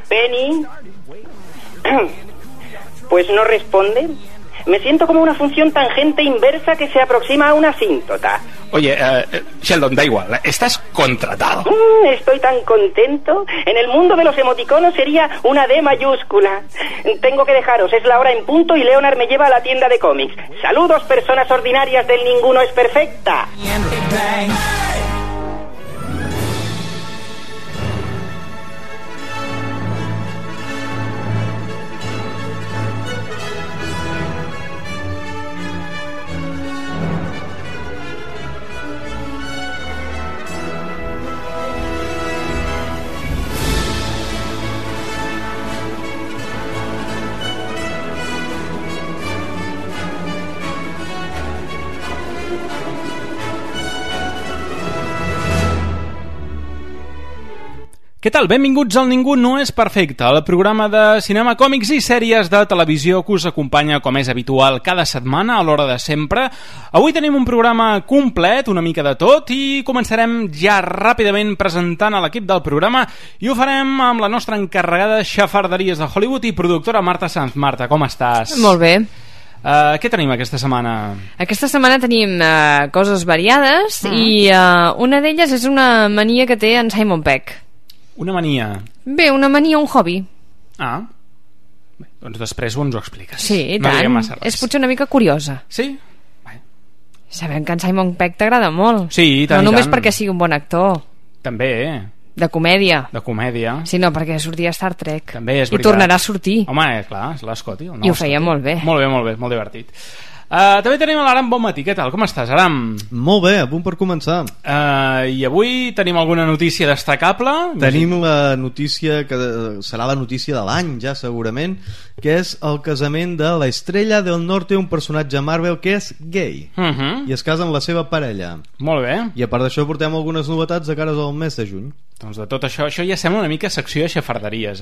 Penny. Pues no responde. Me siento como una función tangente inversa que se aproxima a una asíntota. Oye, Sheldon, da igual, estás contratado. Estoy tan contento. En el mundo de los emoticonos sería una D mayúscula. Tengo que dejaros, es la hora en punto y Leonard me lleva a la tienda de cómics. Saludos, personas ordinarias del Ninguno es Perfecta. Què tal? Benvinguts al Ningú no és perfecte, el programa de cinema, còmics i sèries de televisió que us acompanya, com és habitual, cada setmana a l'hora de sempre. Avui tenim un programa complet, una mica de tot, i començarem ja ràpidament presentant a l'equip del programa, i ho farem amb la nostra encarregada de xafarderies de Hollywood i productora Marta Sanz. Marta, com estàs? Molt bé. Què tenim aquesta setmana? Aquesta setmana tenim coses variades i una d'elles és una mania que té en Simon Pegg. Una mania? Bé, una mania, un hobby. Ah, bé, doncs després ens ho expliques. Sí, i tant. És potser una mica curiosa. Sí? Bé. Sabem que en Simon Pegg t'agrada molt. Sí, i tant. No només perquè sigui un bon actor. També. De comèdia. De comèdia. Sí, no, perquè sortia a Star Trek. També és veritat. I tornarà a sortir. Home, clar, és l'Scotty. I ho feia molt bé. Molt bé, molt divertit. També tenim l'Aram Bonmatí. Què tal? Com estàs, Aram? Molt bé, a punt per començar. I avui tenim alguna notícia destacable? Tenim la notícia que serà la notícia de l'any, ja segurament, que és el casament de la Estrella del Norte, un personatge Marvel que és gay i es casa amb la seva parella. Molt bé. I a part d'això portem algunes novetats de cara al mes de juny. Doncs de tot això ja sembla una mica secció de xafarderies,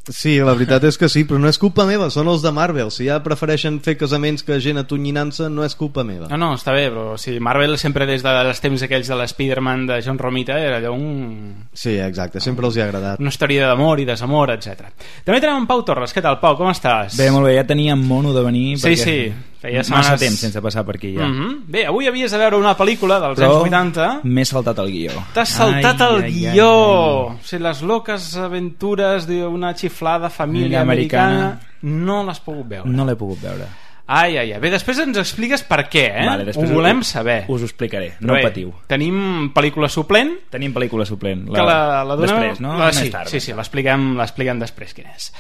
Sí, la veritat és que sí, però no és culpa meva, són els de Marvel. Si ja prefereixen fer casaments que gent atonyinant-se, no és culpa meva. No, està bé, però si Marvel sempre des dels temps aquells de l'Spider-Man de John Romita era allò un... Sí, exacte, sempre els hi ha agradat. Una història d'amor i desamor, etc. També tenim en Pau Torres. Què tal, Pau? Com estàs? Bé, molt bé, ja tenia mono de venir sí, feia setmanes... massa temps sense passar per aquí ja. Bé, avui havies de veure una pel·lícula dels anys 80. M'he saltat el guió. T'has saltat el guió. O sigui, les loques aventures d'una xiflada família americana no l'has pogut veure. No l'he pogut veure. Ai. Bé, després ens expliques per què, Vale, ho volem saber. Us ho explicaré, no patiu. Tenim pel·lícula suplent. Tenim pel·lícula suplent. Que la donem... Després, no? Més tard. Sí, l'expliquem després quin és.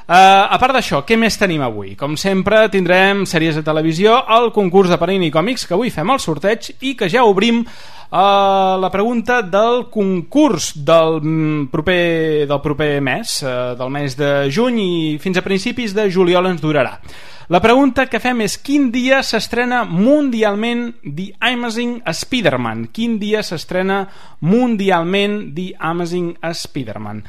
A part d'això, què més tenim avui? Com sempre tindrem sèries de televisió, el concurs de Panini Còmics, que avui fem el sorteig i que ja obrim la pregunta del concurs del proper mes, del mes de juny, i fins a principis de juliol ens durarà. La pregunta que fem és: quin dia s'estrena mundialment The Amazing Spider-Man? Quin dia s'estrena mundialment The Amazing Spider-Man?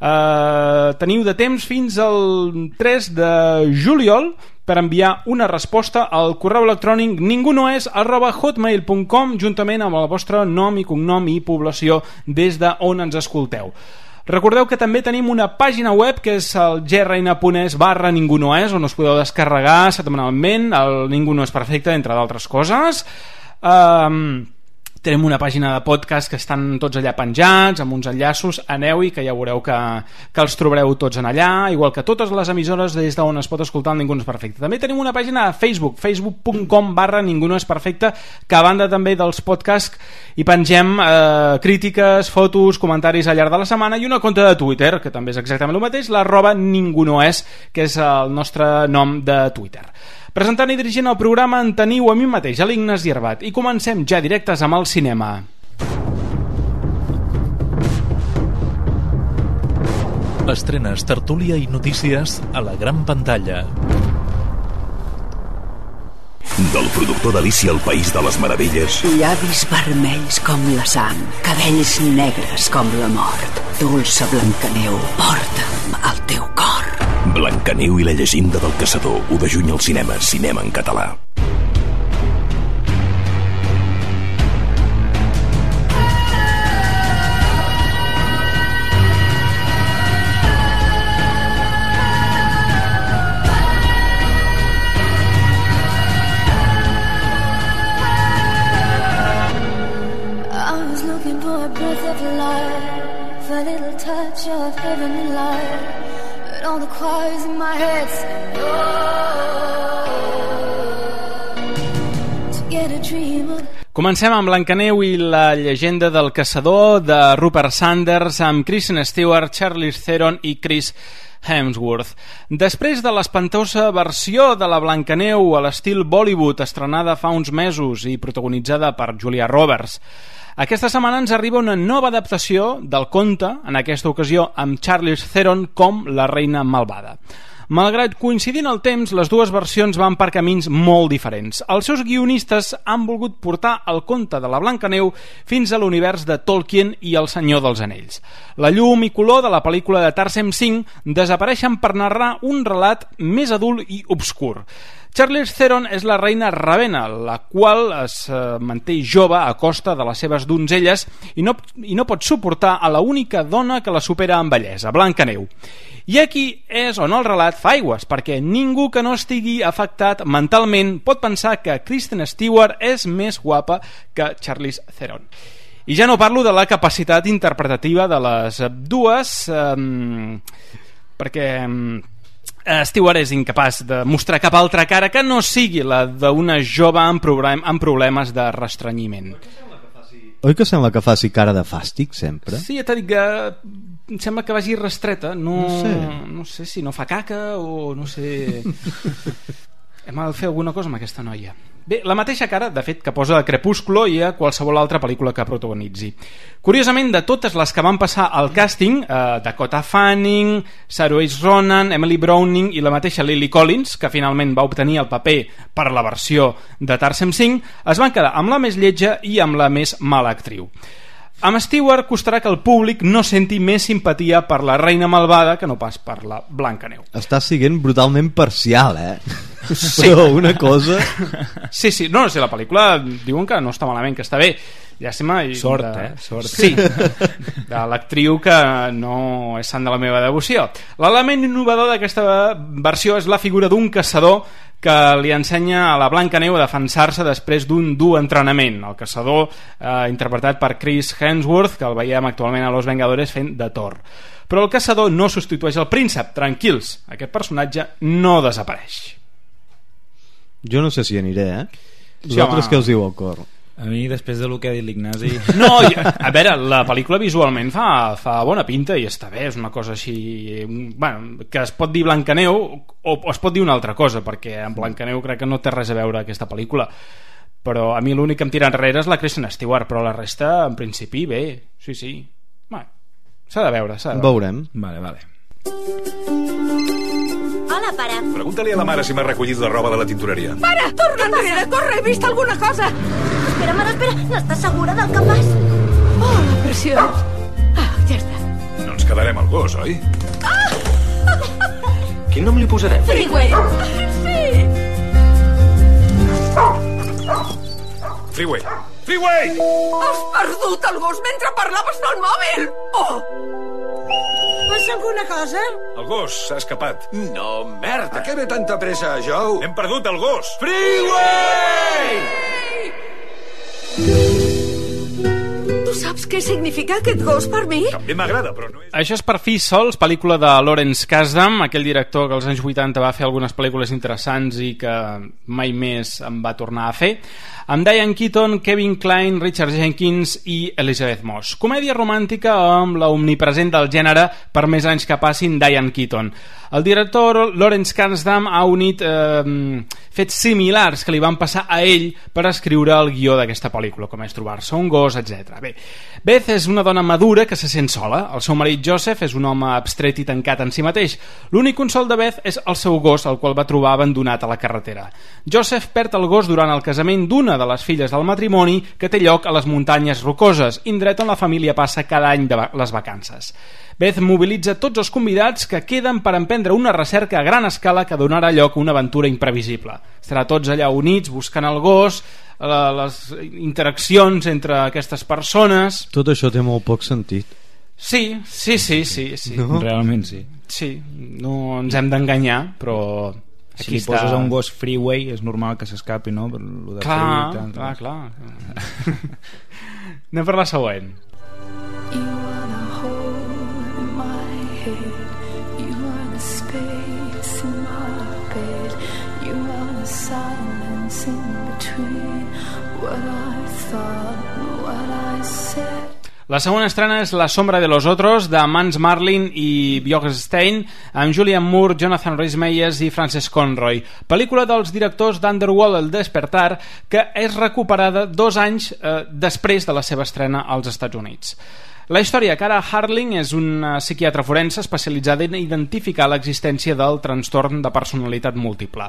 Teniu de temps fins al 3 de juliol per enviar una resposta al correu electrònic ningunoes@hotmail.com juntament amb el vostre nom i cognom i població des d'on ens escolteu. Recordeu que també tenim una pàgina web que és el grn.es/ningunoes, on us podeu descarregar setmanalment el Ningú no és perfecte, entre d'altres coses. Tenim una pàgina de podcast que estan tots allà penjats, amb uns enllaços. Aneu-hi, que ja veureu que els trobareu tots en allà, igual que totes les emissores des d'on es pot escoltar el Ningú no és perfecte. També tenim una pàgina de Facebook, facebook.com/Ningú no és perfecte, que a banda també dels podcasts hi pengem crítiques, fotos, comentaris al llarg de la setmana, i una compte de Twitter, que també és exactament el mateix, @ningunoes, que és el nostre nom de Twitter. Presentant i dirigint el programa en teniu a mi mateix, a l'Ignasi Herbat, i comencem ja directes amb el cinema. Estrenes, tertúlia i notícies a la gran pantalla. Del productor d'Alícia al País de les Meravelles. Llavis vermells com la sang, cabells negres com la mort. Dolça Blancaneu, porta'm al teu cor. Blancaneu i la llegenda del caçador, 1 de juny al cinema, cinema en català. for a breath of life, a little touch of heavenly light, and all the choirs in my head sing, to get a dream of... Comencem amb Blancaneu i la llegenda del caçador de Rupert Sanders amb Kristen Stewart, Charlize Theron i Chris Hemsworth. Després de l'espantosa versió de la Blancaneu a l'estil Bollywood estrenada fa uns mesos i protagonitzada per Julia Roberts, aquesta setmana ens arriba una nova adaptació del conte, en aquesta ocasió amb Charlize Theron com la reina malvada. Malgrat coincidir en el temps, les dues versions van per camins molt diferents. Els seus guionistes han volgut portar el conte de la Blancaneu fins a l'univers de Tolkien i el Senyor dels Anells. La llum i color de la pel·lícula de Tarsem Singh desapareixen per narrar un relat més adult i obscur. Charlize Theron és la reina Ravenna, la qual es manté jove a costa de les seves donzelles i no pot suportar a la única dona que la supera en bellesa, Blancaneu. I aquí és on el relat fa aigües, perquè ningú que no estigui afectat mentalment pot pensar que Kristen Stewart és més guapa que Charlize Theron. I ja no parlo de la capacitat interpretativa de les dues, perquè Stewart és incapaç de mostrar cap altra cara que no sigui la d'una jove amb problemes de restrenyiment. Oi que sembla que faci cara de fàstic sempre? Sí, ja t'he dit que em sembla que vagi restreta, no sé si no fa caca o no sé... Hem de fer alguna cosa amb aquesta noia. Bé, la mateixa cara, de fet, que posa a Crepúsculo i a qualsevol altra pel·lícula que protagonitzi. Curiosament, de totes les que van passar al càsting, Dakota Fanning, Saoirse Ronan, Emily Browning i la mateixa Lily Collins, que finalment va obtenir el paper per la versió de Tarsem Singh, es van quedar amb la més lletja i amb la més mala actriu. Amb Stewart costarà que el públic no senti més simpatia per la reina malvada que no pas per la Blancaneu. Estàs siguent brutalment parcial, Sí. Però una cosa... Sí, no sé, la pel·lícula diuen que no està malament, que està bé. Llàstima. Sort. Sí, de l'actriu que no és sant de la meva devoció. L'element innovador d'aquesta versió és la figura d'un caçador que li ensenya a la Blancaneu a defensar-se després d'un dur entrenament. El caçador, interpretat per Chris Hemsworth, que el veiem actualment a Los Vengadores fent de Thor. Però el caçador no substitueix el príncep. Tranquils, aquest personatge no desapareix. Jo no sé si aniré, Sí, vosaltres què us diu el cor? A mi, després del que ha dit l'Ignasi... No, a veure, la pel·lícula visualment fa bona pinta i està bé, és una cosa així... Bueno, que es pot dir Blancaneu o es pot dir una altra cosa, perquè en Blancaneu crec que no té res a veure aquesta pel·lícula. Però a mi l'únic que em tira enrere és la Kristen Stewart, però la resta, en principi, bé. Sí. Bueno, s'ha de veure. Veurem. Vale. Hola, pare. Pregúntale a la mare si m'ha recollit la roba de la tintoreria. Pare, torna enrere, corre, he vist alguna cosa. Espera, mare, espera, no estàs segura del que fas? Oh, la pressió. Ja està. No ens quedarem al gos, oi? Quin nom li posarem? Freeway. Sí. Freeway! Has perdut el gos mentre parlaves pel mòbil. Oh! Passa alguna cosa? El gos s'ha escapat. No, merda. A què ve tanta pressa, Joe? Hem perdut el gos. Freeway! Tu saps què significa aquest gos per mi? També m'agrada, però no és... Això és Per fi sols, pel·lícula de Lawrence Kasdan, aquell director que als anys 80 va fer algunes pel·lícules interessants i que mai més en va tornar a fer, amb Diane Keaton, Kevin Kline, Richard Jenkins i Elizabeth Moss. Comèdia romàntica amb la omnipresent del gènere per més anys que passin Diane Keaton. El director Lawrence Kasdan ha unit fets similars que li van passar a ell per escriure el guió d'aquesta pel·lícula, com és trobar-se un gos, etc. Bé, Beth és una dona madura que se sent sola. El seu marit Joseph és un home abstret i tancat en si mateix. L'únic consol de Beth és el seu gos, el qual va trobar abandonat a la carretera. Joseph perd el gos durant el casament d'una de les filles del matrimoni que té lloc a les muntanyes rocoses, indret on la família passa cada any de les vacances. Beth mobilitza tots els convidats que queden per emprendre una recerca a gran escala que donarà lloc a una aventura imprevisible. Estarà tots allà units buscant el gos, les interaccions entre aquestes persones... Tot això té molt poc sentit. Sí. No? Realment sí. Sí, no ens hem d'enganyar, però... Si poses a un gos Freeway és normal que s'escapi, no? Per lo de clar. Anem per la següent. La segona estrena és La sombra de los otros, de Mans Marlin i Björn Stein, amb Julianne Moore, Jonathan Rhys-Meyers i Frances Conroy. Pel·lícula dels directors d'Underworld, El despertar, que és recuperada 2 anys després de la seva estrena als Estats Units. La història Cara Harling és una psiquiatra forense especialitzada en identificar l'existència del trastorn de personalitat múltiple.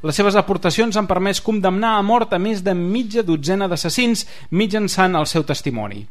Les seves aportacions han permès condemnar a mort a més de mitja dotzena d'assassins mitjançant el seu testimoni.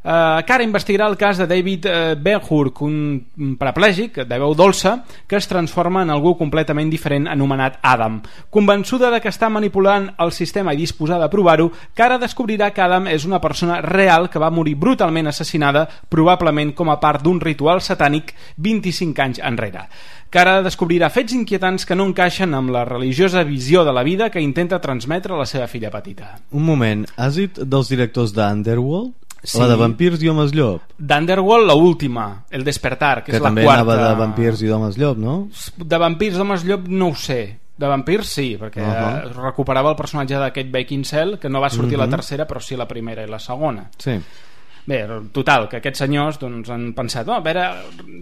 Cara investigarà el cas de David Ben-Hur, un paraplègic de veu dolça que es transforma en algú completament diferent anomenat Adam. Convençuda de que està manipulant el sistema i disposada a provar-ho, Cara descobrirà que Adam és una persona real que va morir brutalment assassinada, probablement com a part d'un ritual satànic 25 anys enrere. Cara descobrirà fets inquietants que no encaixen amb la religiosa visió de la vida que intenta transmetre a la seva filla petita. Un moment, has dit dels directors d'Underworld? Sí. La de Vampirs i Homes Llop. D'Underworld, la última, El despertar, que és la quarta. Que també anava de Vampirs i d'Homes Llop, no? De Vampirs i Homes Llop no ho sé. De Vampirs sí, perquè recuperava el personatge d'aquest Beckinsale, que no va sortir la tercera, però sí la primera i la segona. Sí. Bé, total, que aquests senyors doncs, han pensat, a veure,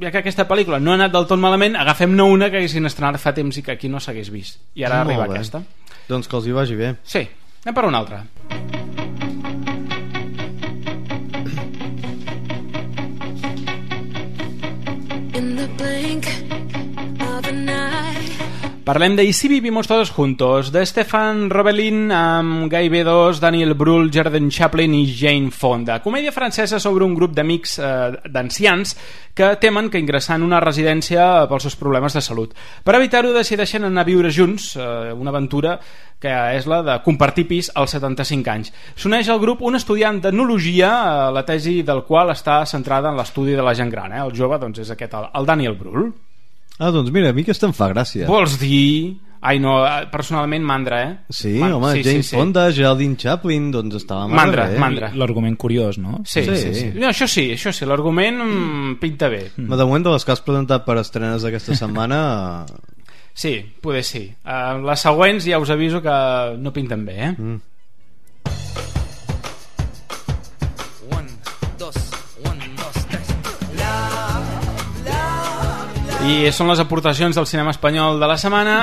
ja que aquesta pel·lícula no ha anat del tot malament, agafem-ne una que haguessin estrenat fa temps i que aquí no s'hagués vist. I ara arriba aquesta. Doncs que els hi vagi bé. Sí, anem per una altra. Parlem de Y si vivimos todos juntos, de Stefan Robelin amb Guy Bedos, Daniel Brühl, Jordan Chaplin i Jane Fonda. Comèdia francesa sobre un grup d'amics d'ancians que temen que ingressar en una residència pels seus problemes de salut. Per evitar-ho decideixen anar a viure junts, una aventura que és la de compartir pis als 75 anys. S'uneix al grup un estudiant d'enologia, la tesi del qual està centrada en l'estudi de la gent gran. El jove doncs, és aquest, el Daniel Brühl. Ah, doncs mira, a mi aquesta em fa gràcia. Vols dir... Ai, no, personalment mandra, Sí, home, sí, Jane Fonda, Geraldine Chaplin, doncs estava mandra. L'argument curiós, no? Sí. No, això sí, l'argument pinta bé. De moment, de les que has presentat per estrenes d'aquesta setmana... Sí, poder sí. Les següents ja us aviso que no pinten bé, I són les aportacions del cinema espanyol de la setmana.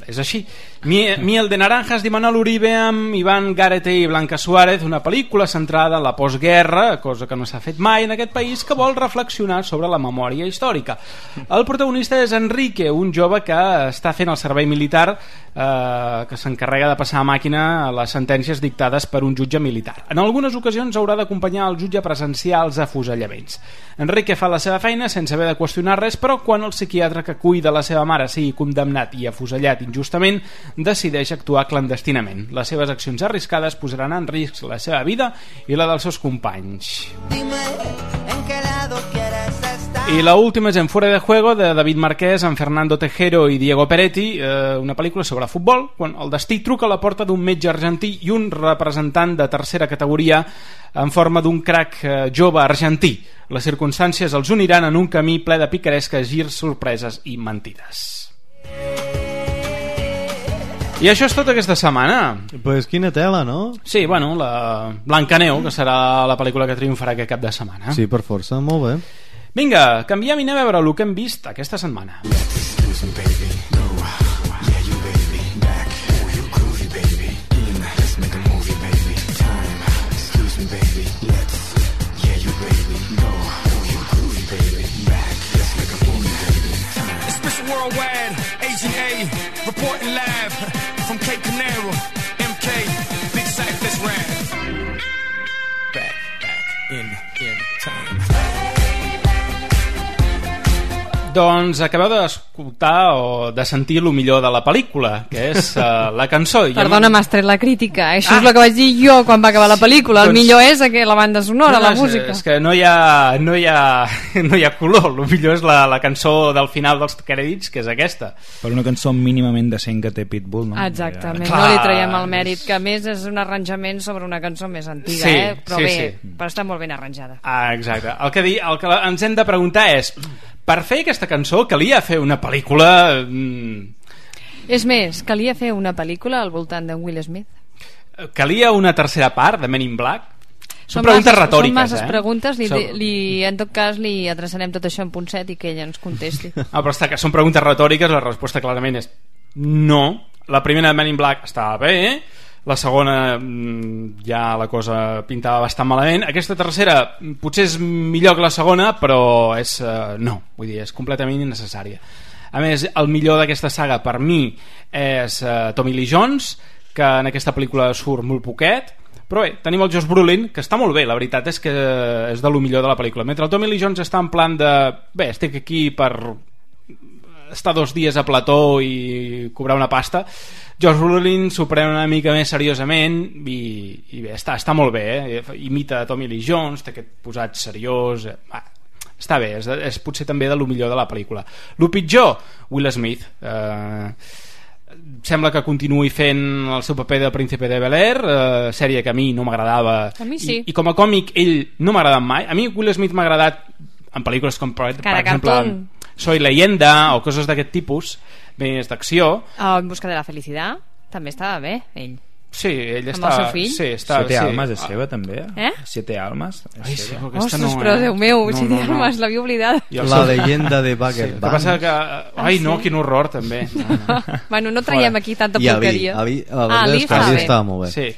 És així. Miel de naranjas d'Imanol Uribe amb Iván Garete i Blanca Suárez, una pel·lícula centrada en la postguerra, cosa que no s'ha fet mai en aquest país, que vol reflexionar sobre la memòria històrica. El protagonista és Enrique, un jove que està fent el servei militar, que s'encarrega de passar a màquina les sentències dictades per un jutge militar. En algunes ocasions haurà d'acompanyar el jutge a presenciar els afusellaments. Enrique fa la seva feina sense haver de qüestionar res, però quan el psiquiatre que cuida la seva mare sigui condemnat i afusellat injustament, decideix actuar clandestinament. Les seves accions arriscades posaran en risc la seva vida i la dels seus companys. I la última és En Fuera de Juego, de David Marquès amb Fernando Tejero i Diego Peretti, una pel·lícula sobre futbol, quan el destí truca a la porta d'un metge argentí i un representant de tercera categoria en forma d'un crac jove argentí. Les circumstàncies els uniran en un camí ple de picaresques, girs, sorpreses i mentides. I això és tot aquesta setmana. Pues quina tela, no? Sí, bueno, la Blancaneu, que serà la pel·lícula que triomfarà aquest cap de setmana. Sí, per força, molt bé. Vinga, canviem i anem a veure el que hem vist aquesta setmana. Worldwide, Agent A, reporting live from Cape Canaveral, MK, Big Sight, let's ride. Back in time. Doncs acabeu d'escoltar o de sentir el millor de la pel·lícula, que és la cançó. Perdona, m'has tret la crítica. Això és el que vaig dir jo quan va acabar la pel·lícula. El millor és la banda sonora, la música. És que no hi ha color. El millor és la cançó del final dels crèdits, que és aquesta. Per una cançó mínimament decent que té Pitbull, no? Exactament, no li traiem el mèrit, que a més és un arranjament sobre una cançó més antiga, però bé, però està molt ben arranjada. Exacte. El que ens hem de preguntar és, per fer aquesta cançó calia fer una pel·lícula... És més, calia fer una pel·lícula al voltant d'en Will Smith? Calia una tercera part de Men in Black? Són preguntes retòriques. Són masses preguntes, en tot cas li adreçarem tot això en punt set i que ella ens contesti. Però està que són preguntes retòriques, la resposta clarament és no. La primera de Men in Black estava bé, la segona ja la cosa pintava bastant malament, aquesta tercera potser és millor que la segona, però és no, vull dir, és completament innecessària. A més, el millor d'aquesta saga per mi és Tommy Lee Jones, que en aquesta pel·lícula surt molt poquet, però bé, tenim el Josh Brolin, que està molt bé, la veritat és que és de lo millor de la pel·lícula, mentre el Tommy Lee Jones està en plan de bé, estic aquí per estar 2 dies a plató i cobrar una pasta. Josh Brolin s'ho pren una mica més seriosament i bé, està molt bé, imita Tommy Lee Jones, té aquest posat seriós, està bé, és potser també de lo millor de la pel·lícula. Lo pitjor, Will Smith, sembla que continuï fent el seu paper de Príncipe de Bel-Air, sèrie que a mi no m'agradava, a mi sí. I com a còmic ell no m'ha agradat mai. A mi Will Smith m'ha agradat en pel·lícules com per exemple Soy Leyenda o coses d'aquest tipus, més d'acció. En busca de la felicitat també estava bé, ell. Sí, ell amb el seu fill. Sí, Siete Almas és seva també? Siete Almas és seva. Ostres, però Déu meu, Siete Almas l'havia oblidat. La leyenda de Bagger Band. El que passa que... Ai no, quin horror també. Bueno, no traiem aquí tanta porqueria. Ali estava molt bé. Sí.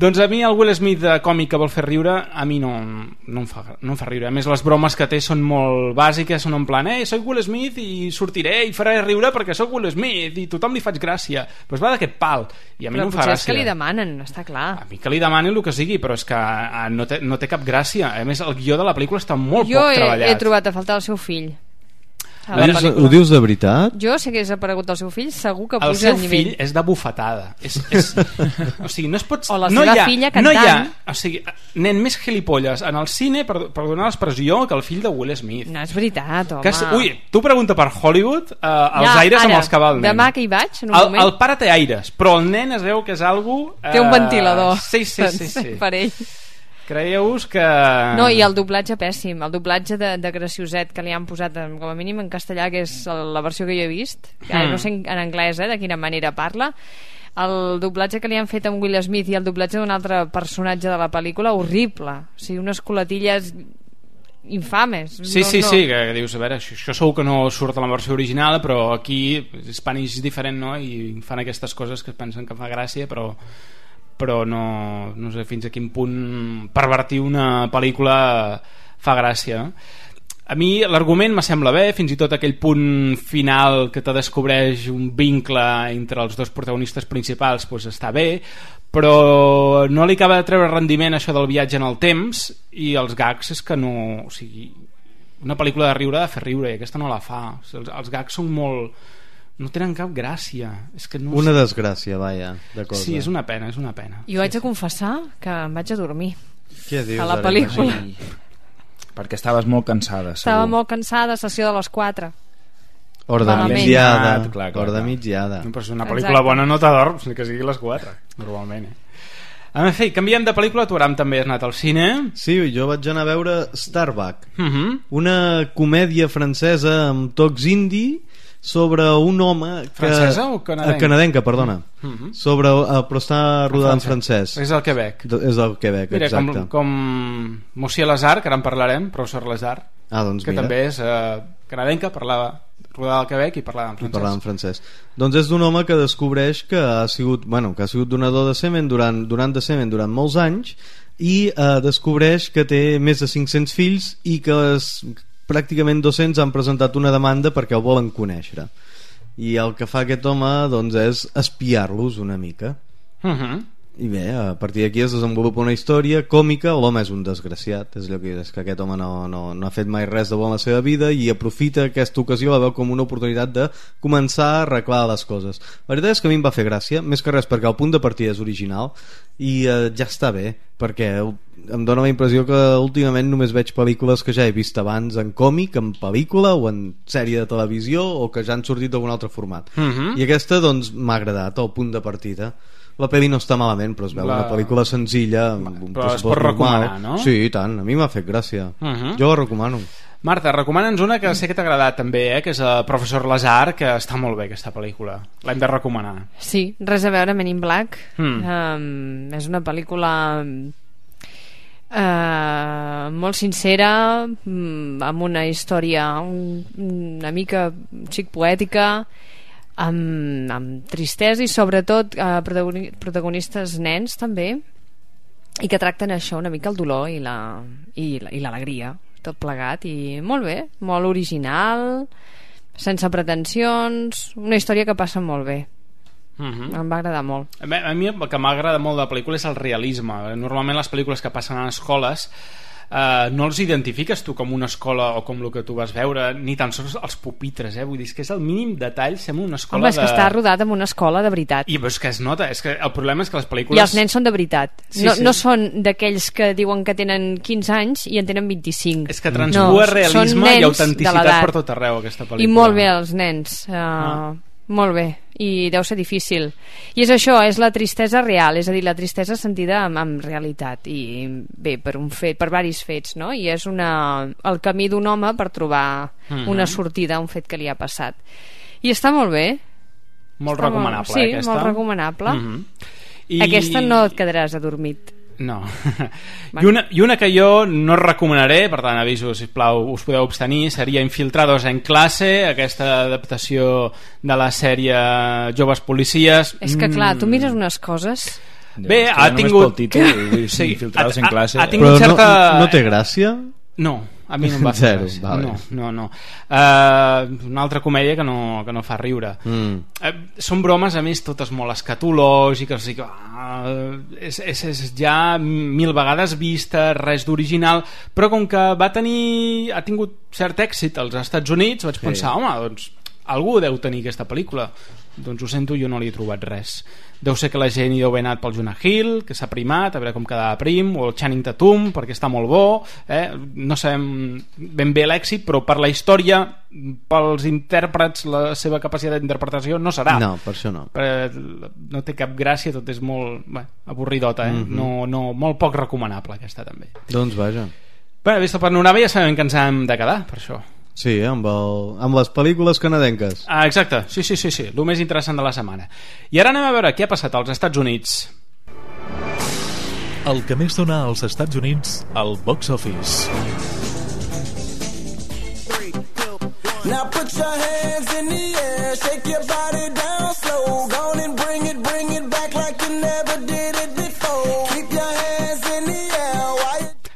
Doncs a mi el Will Smith de còmic que vol fer riure a mi no em fa riure. A més les bromes que té són molt bàsiques, són en plan soc Will Smith i sortiré i faré riure perquè soc Will Smith i tothom li faig gràcia, però es va d'aquest pal i a mi no em fa gràcia. Però potser és que li demanen, està clar. A mi que li demanin el que sigui, però és que no té cap gràcia. A més el guió de la pel·lícula està molt poc treballat. Jo he trobat a faltar el seu fill. Ho dius de veritat? Jo, si hagués aparegut el seu fill, segur que puja el nivell. El seu fill és de bufetada. O sigui, no es pot... O la seva filla cantant. O sigui, nen més gilipolles en el cine, per donar l'expressió, que el fill de Will Smith. No és veritat, home. Ui, tu pregunta per Hollywood, els aires amb els que va el nen. Demà que hi vaig, en un moment. El pare té aires, però el nen es veu que és algú... Té un ventilador. Sí. Per ell. Creieu-vos que... No, i el doblatge pèssim. El doblatge de Gracioset que li han posat com a mínim en castellà, que és la versió que jo he vist, que no sé en anglès de quina manera parla, el doblatge que li han fet amb Will Smith i el doblatge d'un altre personatge de la pel·lícula, horrible. O sigui, unes coletilles infames. Sí, que dius, a veure, això segur que no surt a la versió original, però aquí Spanish és diferent, no? I fan aquestes coses que pensen que fa gràcia, però no sé fins a quin punt pervertir una pel·lícula fa gràcia. A mi l'argument me sembla bé, fins i tot aquell punt final que te descobreix un vincle entre els dos protagonistes principals doncs està bé, però no li acaba de treure rendiment això del viatge en el temps, i els gags és que no... O sigui, una pel·lícula de riure ha de fer riure i aquesta no la fa. O sigui, els gags són molt... no tenen cap gràcia. És que no... Una desgràcia, vaja, de cosa. Sí, és una pena. Jo haig de confessar que em vaig a dormir. Què dius, a la pel·lícula. Sí. Perquè estaves molt cansada, segur. Estava molt cansada, sessió de les 4. Hora de migdiada. Hora de migdiada. No, però si una pel·lícula bona no t'adorms, ni que sigui les 4, normalment. En fi, canviem de pel·lícula. Tu, Aram, també has anat al cine. Sí, jo vaig anar a veure Starbuck, una comèdia francesa amb tocs indie sobre un home que... Francesa o canadenca? Canadenca, perdona. Però està rodada en francès. És al Quebec. És al Quebec, mira, exacte. Com Monsieur Lazare, que ara en parlarem, professor Lazare, doncs que també és canadenca, rodada al Quebec i parlava en francès. Doncs és d'un home que descobreix que ha sigut donador de semen durant molts anys i descobreix que té més de 500 fills i que pràcticament 200 han presentat una demanda perquè el volen conèixer, i el que fa aquest home doncs és espiar-los una mica. I bé, a partir d'aquí es desenvolupa una història còmica. L'home és un desgraciat, és allò que és que aquest home no ha fet mai res de bo en la seva vida i aprofita aquesta ocasió, la veu com una oportunitat de començar a arreglar les coses. La veritat és que a mi em va fer gràcia, més que res perquè el punt de partida és original i ja està bé, perquè em dóna la impressió que últimament només veig pel·lícules que ja he vist abans en còmic, en pel·lícula o en sèrie de televisió, o que ja han sortit d'algun altre format. I aquesta doncs m'ha agradat, el punt de partida. La pel·li no està malament, però es veu una pel·lícula senzilla amb un però es pot recomanar, no? Sí, i tant, a mi m'ha fet gràcia. Jo la recomano. Marta, recomana'ns una que sé que t'ha agradat també, que és el Professor Lazare, que està molt bé aquesta pel·lícula, l'hem de recomanar. Sí, res a veure Men in Black. És una pel·lícula Molt sincera, amb una història una mica xic poètica, amb tristesa i sobretot protagonistes nens també, i que tracten això una mica, el dolor i l'alegria, tot plegat, i molt bé, molt original, sense pretensions, una història que passa molt bé. Em va agradar molt. A mi el que m'agrada molt de la pel·lícula és el realisme. Normalment les pel·lícules que passen a escoles no els identifiques tu com una escola o com el que tu vas veure, ni tan sols els pupitres, vull dir, que és el mínim detall, sembla una escola. Home, és que està rodat en una escola de veritat. I és que es nota, és que el problema és que les pel·lícules... I els nens són de veritat, no són d'aquells que diuen que tenen 15 anys i en tenen 25. És que transpua realisme i autenticitat per tot arreu, aquesta pel·lícula. I molt bé els nens, molt bé, i deu ser difícil. I és això, és la tristesa real, és a dir, la tristesa sentida amb realitat, i bé, per varis fets, no? I és el camí d'un home per trobar una sortida a un fet que li ha passat. I està molt bé. Molt recomanable, sí, aquesta. molt recomanable. Aquesta no et quedaràs adormit. No. I una que jo no recomanaré, per tant aviso, sisplau, us podeu abstenir, seria Infiltrados en classe, aquesta adaptació de la sèrie Joves policies. És que clar, tu mires unes coses... Bé, ha tingut... Infiltrados en classe... Però no té gràcia? No, a mi no em va fer res. No. Una altra comèdia que no fa riure. Són bromes, a més, totes molt escatològiques, o sigui, és ja 1000 vegades vista, res d'original, però com que ha tingut cert èxit als Estats Units, vaig pensar, home, doncs algú deu tenir aquesta pel·lícula. Doncs ho sento, jo no li he trobat res. Deu ser que la gent hi deu haver anat pel Jonah Hill, que s'ha primat, a veure com quedava prim, o el Channing Tatum, perquè està molt bo, no sabem ben bé l'èxit, però per la història, pels intèrprets, la seva capacitat d'interpretació no serà. No, per això no. No té cap gràcia, tot és molt avorridota, molt poc recomanable aquesta també. Doncs vaja. Bé, vist el panorama ja sabem que ens hem de quedar, per això. Sí, amb les pel·lícules canadenques. Exacte, sí, el més interessant de la setmana. I ara anem a veure què ha passat als Estats Units. El que més dona als Estats Units al box office. Now put your hands in the air, shake your body down slow, go on and bring it back like you never did it before. Keep your hands in the air.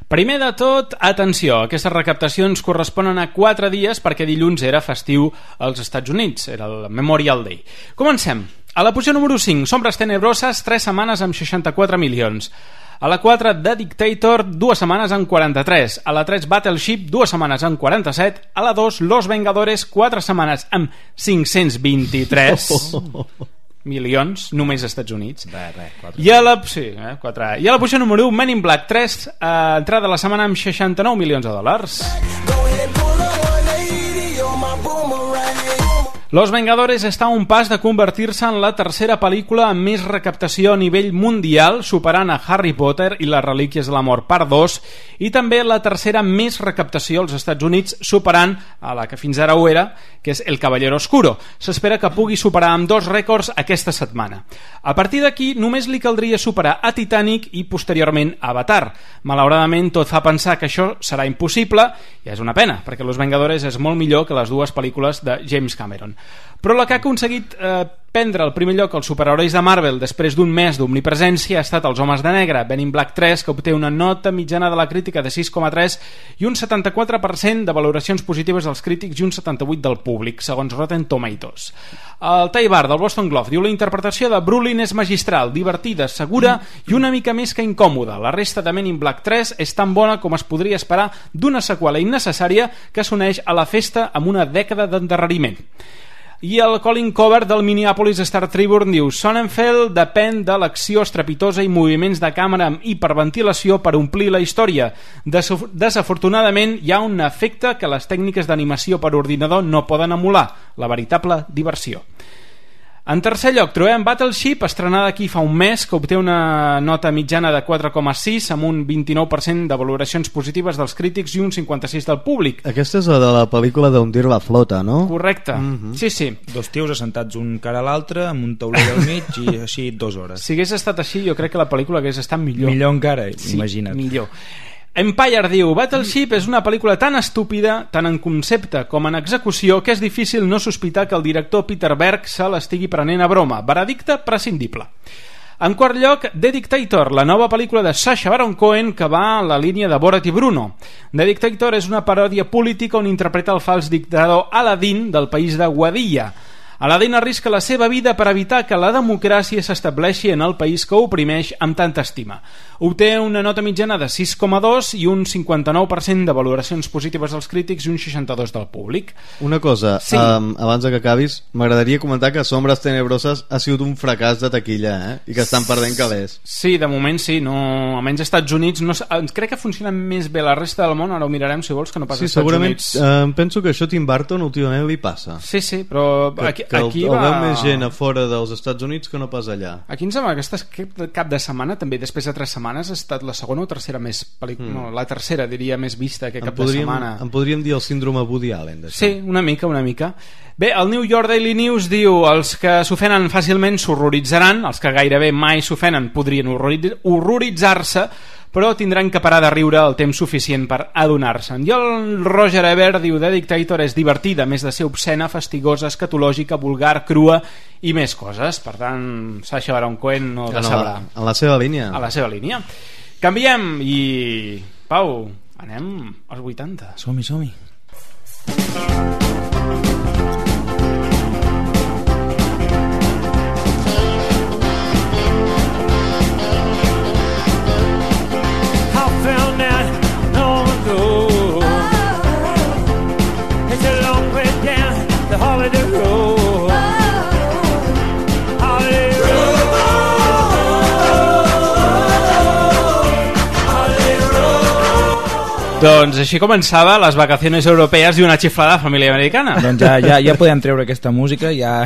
Primer de tot, atenció, aquestes recaptacions corresponen a 4 dies perquè dilluns era festiu als Estats Units, era el Memorial Day. Comencem. A la posició número 5, Sombras Tenebroses, 3 setmanes amb 64 milions. A la 4, The Dictator, 2 setmanes amb 43. A la 3, Battleship, 2 setmanes amb 47. A la 2, Los Vengadores, 4 setmanes amb 523 milions, només als Estats Units. I a la posició número 1, Men in Black 3, entrada de la setmana amb 69 milions de dòlars. Los Vengadores està a un pas de convertir-se en la tercera pel·lícula amb més recaptació a nivell mundial, superant a Harry Potter i les Relíquies de la Mort part 2, i també la tercera més recaptació als Estats Units, superant a la que fins ara ho era, que és El Caballero Oscuro. S'espera que pugui superar amb 2 rècords aquesta setmana. A partir d'aquí, només li caldria superar a Titanic i posteriorment Avatar. Malauradament, tot fa pensar que això serà impossible, i és una pena, perquè Los Vengadores és molt millor que les 2 pel·lícules de James Cameron. Però la que ha aconseguit prendre el primer lloc als superherois de Marvel després d'un mes d'omnipresència ha estat Els Homes de Negre, Men in Black 3, que obté una nota mitjana de la crítica de 6,3 i un 74% de valoracions positives dels crítics i un 78% del públic, segons Rotten Tomatoes. El Ty Barr del Boston Globe diu: la interpretació de Brolin és magistral, divertida, segura i una mica més que incòmoda. La resta de Men in Black 3 és tan bona com es podria esperar d'una seqüela innecessària que s'uneix a la festa amb una dècada d'endarreriment. I el Colin Covert del Minneapolis Star Tribune diu: Sonnenfeld depèn de l'acció estrepitosa i moviments de càmera amb hiperventilació per omplir la història. Desafortunadament hi ha un efecte que les tècniques d'animació per ordinador no poden emular, la veritable diversió. En tercer lloc trobem Battleship, estrenada aquí fa un mes, que obté una nota mitjana de 4,6 amb un 29% de valoracions positives dels crítics i un 56% del públic. Aquesta és la de la pel·lícula d'Hundir la flota, no? Correcte, sí. Dos tios assentats un cara a l'altre amb un tauler al mig i així 2 hores. Si hagués estat així, jo crec que la pel·lícula hagués estat millor. Millor encara, sí, imagina't. Millor. Empire diu, Battleship és una pel·lícula tan estúpida, tant en concepte com en execució, que és difícil no sospitar que el director Peter Berg se l'estigui prenent a broma. Veredicte prescindible. En quart lloc, The Dictator, la nova pel·lícula de Sacha Baron Cohen que va en la línia de Borat i Bruno. The Dictator és una paròdia política on interpreta el fals dictador Aladdin del país de Guadilla. Aladdin arrisca la seva vida per evitar que la democràcia s'estableixi en el país que oprimeix amb tanta estima. Obté una nota mitjana de 6,2 i un 59% de valoracions positives dels crítics i un 62% del públic. Una cosa, sí. Abans que acabis, m'agradaria comentar que Sombres Tenebroses ha sigut un fracàs de taquilla, i que estan perdent calés. Sí, de moment sí, no, almenys als Estats Units no, crec que funciona més bé la resta del món, ara ho mirarem si vols, que no pas als Estats Units. Sí, segurament, penso que això a Tim Burton últimament li passa. Sí, però que el veu més gent a fora dels Estats Units que no pas allà. Aquí em sembla que aquest cap de setmana, també després de 3 setmanes, ha estat la segona o tercera més no, la tercera, diria, més vista aquest cap de setmana. En podríem dir el síndrome Woody Allen d'això. Sí, una mica. Bé, el New York Daily News diu els que s'ofenen fàcilment s'horroritzaran, els que gairebé mai s'ofenen podrien horroritzar-se, però tindran que parar de riure el temps suficient per adonar-se'n. I el Roger Ebert diu The Dictator és divertida, més de ser obscena, fastigosa, escatològica, vulgar, crua i més coses. Per tant, Sacha Baron Cohen no decebrà. En la seva línia. A la seva línia. Canviem i... Pau, anem als 80. Som-hi. Doncs així començava les vacaciones europees i una xiflada família americana. Doncs ja podem treure aquesta música, ja...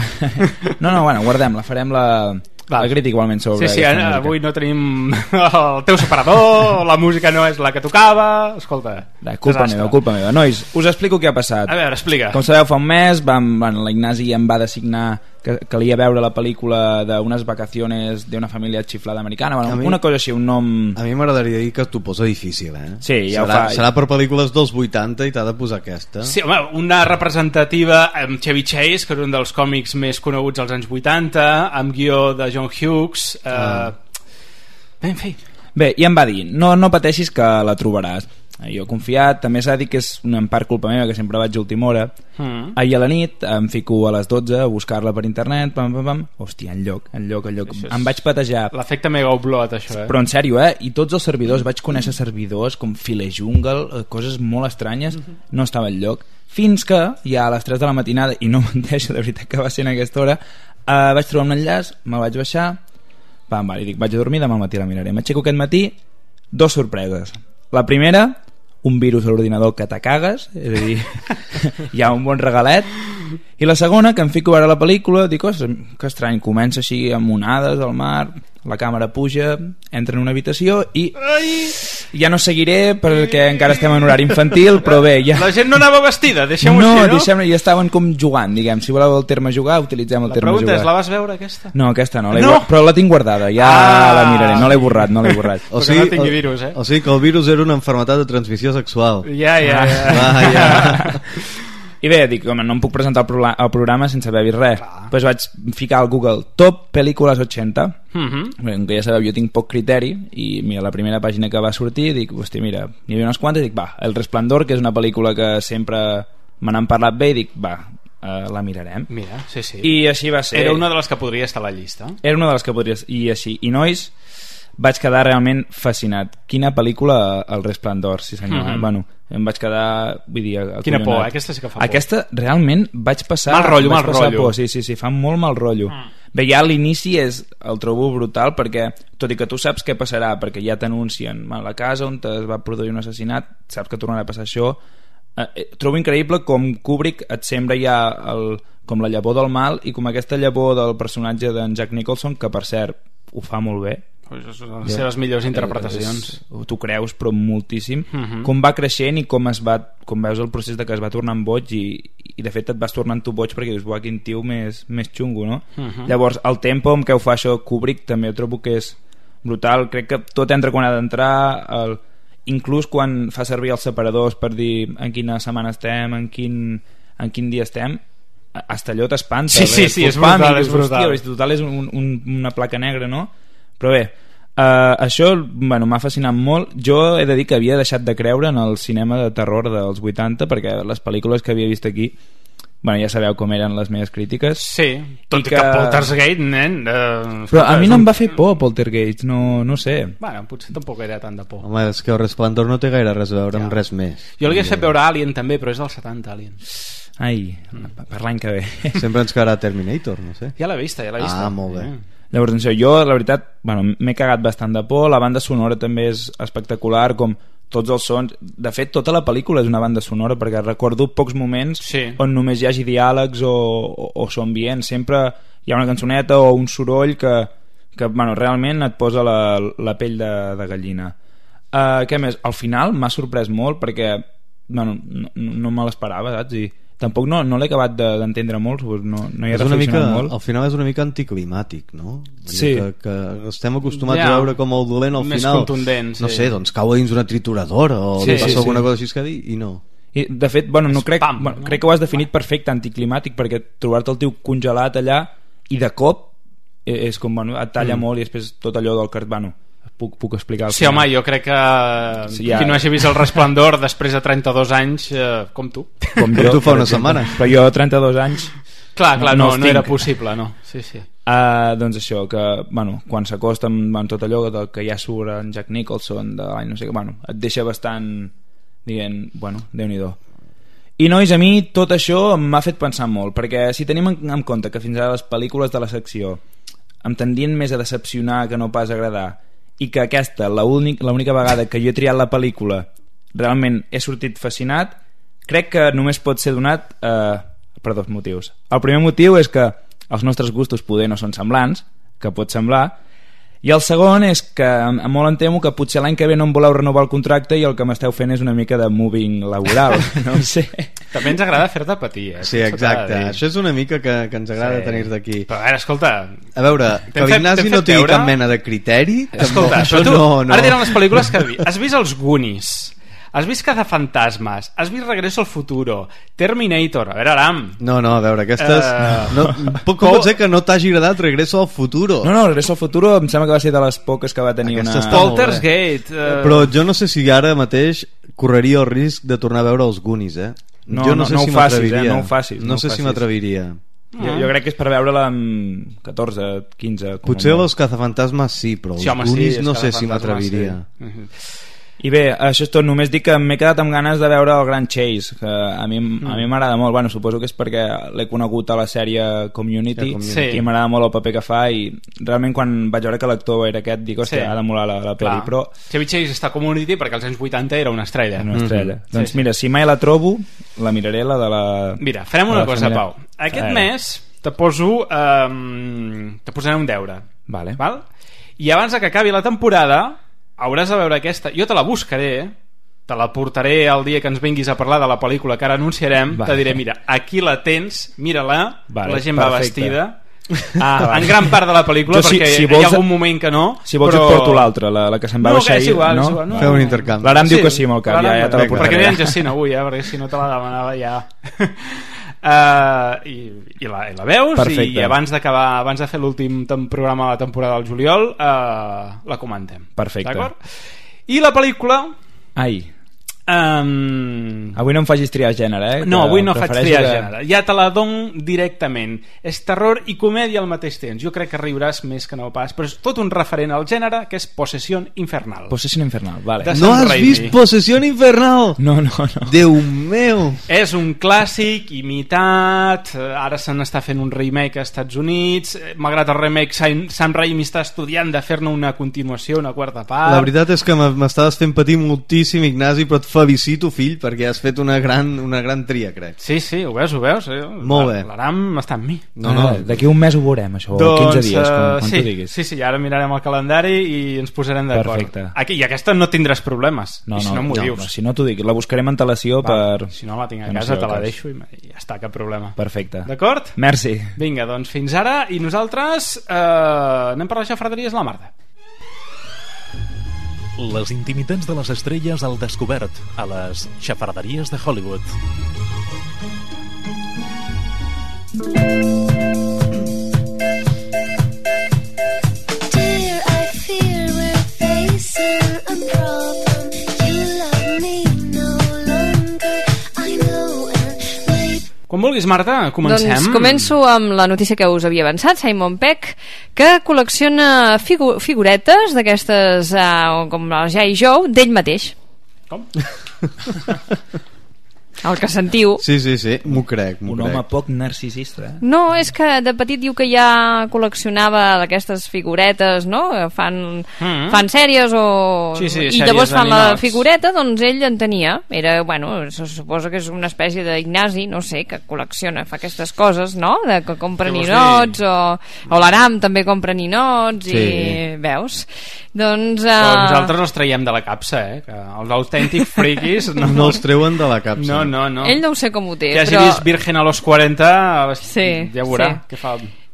No, bueno, guardem-la, farem la crítica igualment sobre aquesta música. Avui no tenim el teu separador, la música no és la que tocava, escolta... Culpa meva. Nois, us explico què ha passat. A veure, explica. Com sabeu, fa un mes l'Ignasi em va designar que calia veure la pel·lícula d'unes vacaciones d'una família xiflada americana, una cosa així, un nom... A mi m'agradaria dir que t'ho posa difícil, Sí, ja serà per pel·lícules dels 80 i t'ha de posar aquesta. Sí, home, una representativa amb Chevy Chase, que és un dels còmics més coneguts als anys 80, amb guió de John Hughes. En fi. Bé, i em va dir, no pateixis que la trobaràs. Jo he confiat, també s'ha de dir que és en part culpa meva, que sempre vaig a última hora. Ahir a la nit em fico a les 12 a buscar-la per internet, hòstia, enlloc. Em vaig patejar. L'efecte mega upload, això, Però en sèrio, i tots els servidors, vaig conèixer servidors com Filejungle, coses molt estranyes, no estava enlloc. Fins que, ja a les 3 de la matinada, i no menteixo, de veritat que va ser en aquesta hora, vaig trobar un enllaç, me'l vaig baixar, i dic, vaig a dormir, demà al matí la miraré. M'aixeco aquest matí, 2 sorpreses. La primera, un virus a l'ordinador que te cagues, és a dir, hi ha un bon regalet. I la segona, que em fico a veure la pel·lícula, dic, que estrany, comença així amb onades al mar, la càmera puja, entra en una habitació i ja no seguiré perquè encara estem en horari infantil, però bé, ja... La gent no anava vestida, deixem-ho així, no? No, deixem-ho, ja estaven com jugant, diguem. Si voleu el terme jugar, utilitzem el terme jugar. La pregunta és, la vas veure, aquesta? No, aquesta no, però la tinc guardada, ja la miraré, no l'he borrat. O sigui, no tingui virus, o sigui que el virus era una malaltia de transmissió sexual. Ja. I bé, dic, home, no em puc presentar al programa sense haver vist res. Doncs vaig ficar al Google Top Pel·lícules 80. Que ja sabeu, jo tinc poc criteri i mira, la primera pàgina que va sortir dic, hòstia, mira, n'hi havia unes quantes, dic, El Resplendor, que és una pel·lícula que sempre me n'han parlat bé, i dic, la mirarem. Mira, sí. I així va ser. Era una de les que podria estar a la llista. Era una de les que podria, i així. I nois, vaig quedar realment fascinat. Quina pel·lícula, El Resplendor, sí senyor. Bueno, em vaig quedar, vull dir, quina por, aquesta sí que fa por. Aquesta realment vaig passar mal rotllo. Por. Sí, fa molt mal rotllo. Bé, ja l'inici el trobo brutal perquè, tot i que tu saps què passarà, perquè ja t'anuncien a la casa on es va produir un assassinat, saps que tornarà a passar això. Trobo increïble com Kubrick et sembra ja com la llavor del mal i com aquesta llavor del personatge d'en Jack Nicholson, que per cert ho fa molt bé. Les seves millors interpretacions. T'ho creus, però moltíssim. Com va creixent i com veus el procés de que es va tornant boig i de fet et vas tornant tu boig perquè dius, buah, quin tio més xungo, no? Llavors, el tempo amb què ho fa això Kubrick també ho trobo que és brutal. Crec que tot entra quan ha d'entrar, inclús quan fa servir els separadors per dir en quina setmana estem, en quin dia estem, hasta allò t'espanta. Sí, és brutal. Hòstia, total és una placa negra, no? Però bé, això m'ha fascinat molt. Jo he de dir que havia deixat de creure en el cinema de terror dels 80 perquè les pel·lícules que havia vist aquí, ja sabeu com eren les meves crítiques. Sí, tot i que Poltergeist, nen... Però a mi no em va fer por Poltergeist, no sé. Bueno, potser tampoc era tant de por. Home, és que el Resplendor no té gaire res a veure amb res més. Jo l'havia fet veure Alien també, però és del 70, Alien. Ai, per l'any que ve. Sempre ens quedarà Terminator, no sé. Ja l'he vista. Ah, molt bé. Llavors, jo, la veritat, m'he cagat bastant de por. La banda sonora també és espectacular, com tots els sons. De fet, tota la pel·lícula és una banda sonora, perquè recordo pocs moments on només hi hagi diàlegs o so ambient. Sempre hi ha una cançoneta o un soroll que realment et posa la pell de gallina. Què més? Al final m'ha sorprès molt perquè no me l'esperava, saps? I tampoc no l'he acabat d'entendre molt, no hi he reflexionat molt. Al final és una mica anticlimàtic, no? Sí. Que estem acostumats a veure com el dolent al més final contundent, no sé, doncs cau dins una trituradora o li passa alguna cosa així que dir i no. I de fet, crec que ho has definit perfecte, anticlimàtic, perquè trobar-te el tio congelat allà i de cop és com, et talla molt i després tot allò del cart, puc explicar. Sí, home, jo crec que qui no hagi vist el Resplendor després de 32 anys, com tu. Com tu fa una setmana. Però jo 32 anys... Clar, no era possible, no. Sí. Doncs això, que quan s'acosta amb tot allò que ja surt en Jack Nicholson de l'any no sé què, et deixa bastant dient, Déu-n'hi-do. I nois, a mi tot això m'ha fet pensar molt, perquè si tenim en compte que fins ara les pel·lícules de la secció em tendien més a decepcionar que no pas a agradar, i que aquesta, l'única vegada que jo he triat la pel·lícula realment he sortit fascinat, crec que només pot ser donat per dos motius. El primer motiu és que els nostres gustos poder no són semblants, que pot semblar, i el segon és que molt em temo que potser l'any que ve no em voleu renovar el contracte i el que m'esteu fent és una mica de moving laboral, no ho sé. També ens agrada fer-te patir, Sí, exacte, això és una mica que ens agrada tenir d'aquí. Però a veure, escolta, a veure, que l'Ignasi no tingui cap mena de criteri, escolta, això tu, ara diran les pel·lícules que has vist els Goonies, has vist Cazafantasmes, has vist Regreso al Futuro, Terminator, a veure, Aram. No, a veure, aquestes... Com pot ser que no t'hagi agradat Regreso al Futuro? No, Regreso al Futuro em sembla que va ser de les poques que va tenir una... Poltergeist. Però jo no sé si ara mateix correria el risc de tornar a veure els Goonies, jo no sé si m'atreviria. No ho facis. No sé si m'atreviria. Jo crec que és per veure-la amb 14, 15... Potser els Cazafantasmes sí, però els Goonies no sé si m'atreviria. I bé, això és tot, només dic que m'he quedat amb ganes de veure el Grand Chase, que a mi m'agrada molt. Suposo que és perquè l'he conegut a la sèrie Community i m'agrada molt el paper que fa, i realment quan vaig veure que l'actor era aquest dic, hòstia, ha de molar la pel·li. Però Chevy Chase està a Community perquè als anys 80 era una estrella. Doncs mira, si mai la trobo la miraré, la de la... Mira, farem una cosa, Pau. Aquest mes te posaré un deure, val? I abans que acabi la temporada hauràs de veure aquesta, jo te la buscaré, te la portaré el dia que ens vinguis a parlar de la pel·lícula que ara anunciarem, te diré, mira, aquí la tens, mira-la, la gent va vestida, en gran part de la pel·lícula, perquè hi ha algun moment que no. Si vols et porto l'altra, la que se'n va baixar ahir, no? Feu un intercanvi. L'Aram diu que sí amb el cap, ja te la portaré. Perquè no hi ha en Jacint avui, perquè si no te la demanava ja... i la veus. Perfecte. I abans de fer l'últim programa de la temporada del juliol la comentem. Perfecte. D'acord? I la pel·lícula avui no em facis triar gènere, no, avui no faig triar gènere, ja te la dono directament. És terror i comèdia al mateix temps. Jo crec que riuràs més que no pas, però és tot un referent al gènere, que és Possession Infernal. Possession Infernal, vale. No has vist Possession Infernal? No. Déu meu! És un clàssic imitat, ara se n'està fent un remake als Estats Units, malgrat el remake Sam Raimi està estudiant de fer-ne una continuació, una quarta part. La veritat és que m'estaves fent patir moltíssim, Ignasi, però et felicito, fill, perquè has fet una gran tria, crec. Sí, ho veus. Molt bé. L'Aram està amb mi. D'aquí un mes ho veurem, això, doncs, 15 dies, quan tu diguis. Sí, ara mirarem el calendari i ens posarem d'acord. Perfecte. I aquesta no tindràs problemes. No, si no m'ho dius. Si no t'ho dic, la buscarem antelació per... Si no la tinc a casa, te la deixo i ja està, cap problema. Perfecte. D'acord? Merci. Vinga, doncs fins ara, i nosaltres anem per les xafarderies de la Marta. Les intimitats de les estrelles al descobert a les xafarderies de Hollywood. Dear, I fear we're facing a problem. You love me no longer, I know, and maybe... Quan vulguis, Marta, comencem. Doncs començo amb la notícia que us havia avançat. Simon Pegg, que col·lecciona figuretes d'aquestes com la G.I. Joe d'ell mateix. Com? El que sentiu. Sí, m'ho crec. Home poc narcisista, No, és que de petit diu que ja col·leccionava d'aquestes figuretes, no? Fan sèries o... Sí, i llavors fan la figureta, doncs ell en tenia. Era, se suposa que és una espècie d'Ignasi, no sé, que col·lecciona, fa aquestes coses, no? Que compra ninots, o l'Aram també compra ninots, i veus? Doncs... nosaltres els traiem de la capsa, que els autèntics friquis no els treuen de la capsa. No. Ell no ho sé com ho té, que hagi vist Virgen a los 40 ja veurà què fa.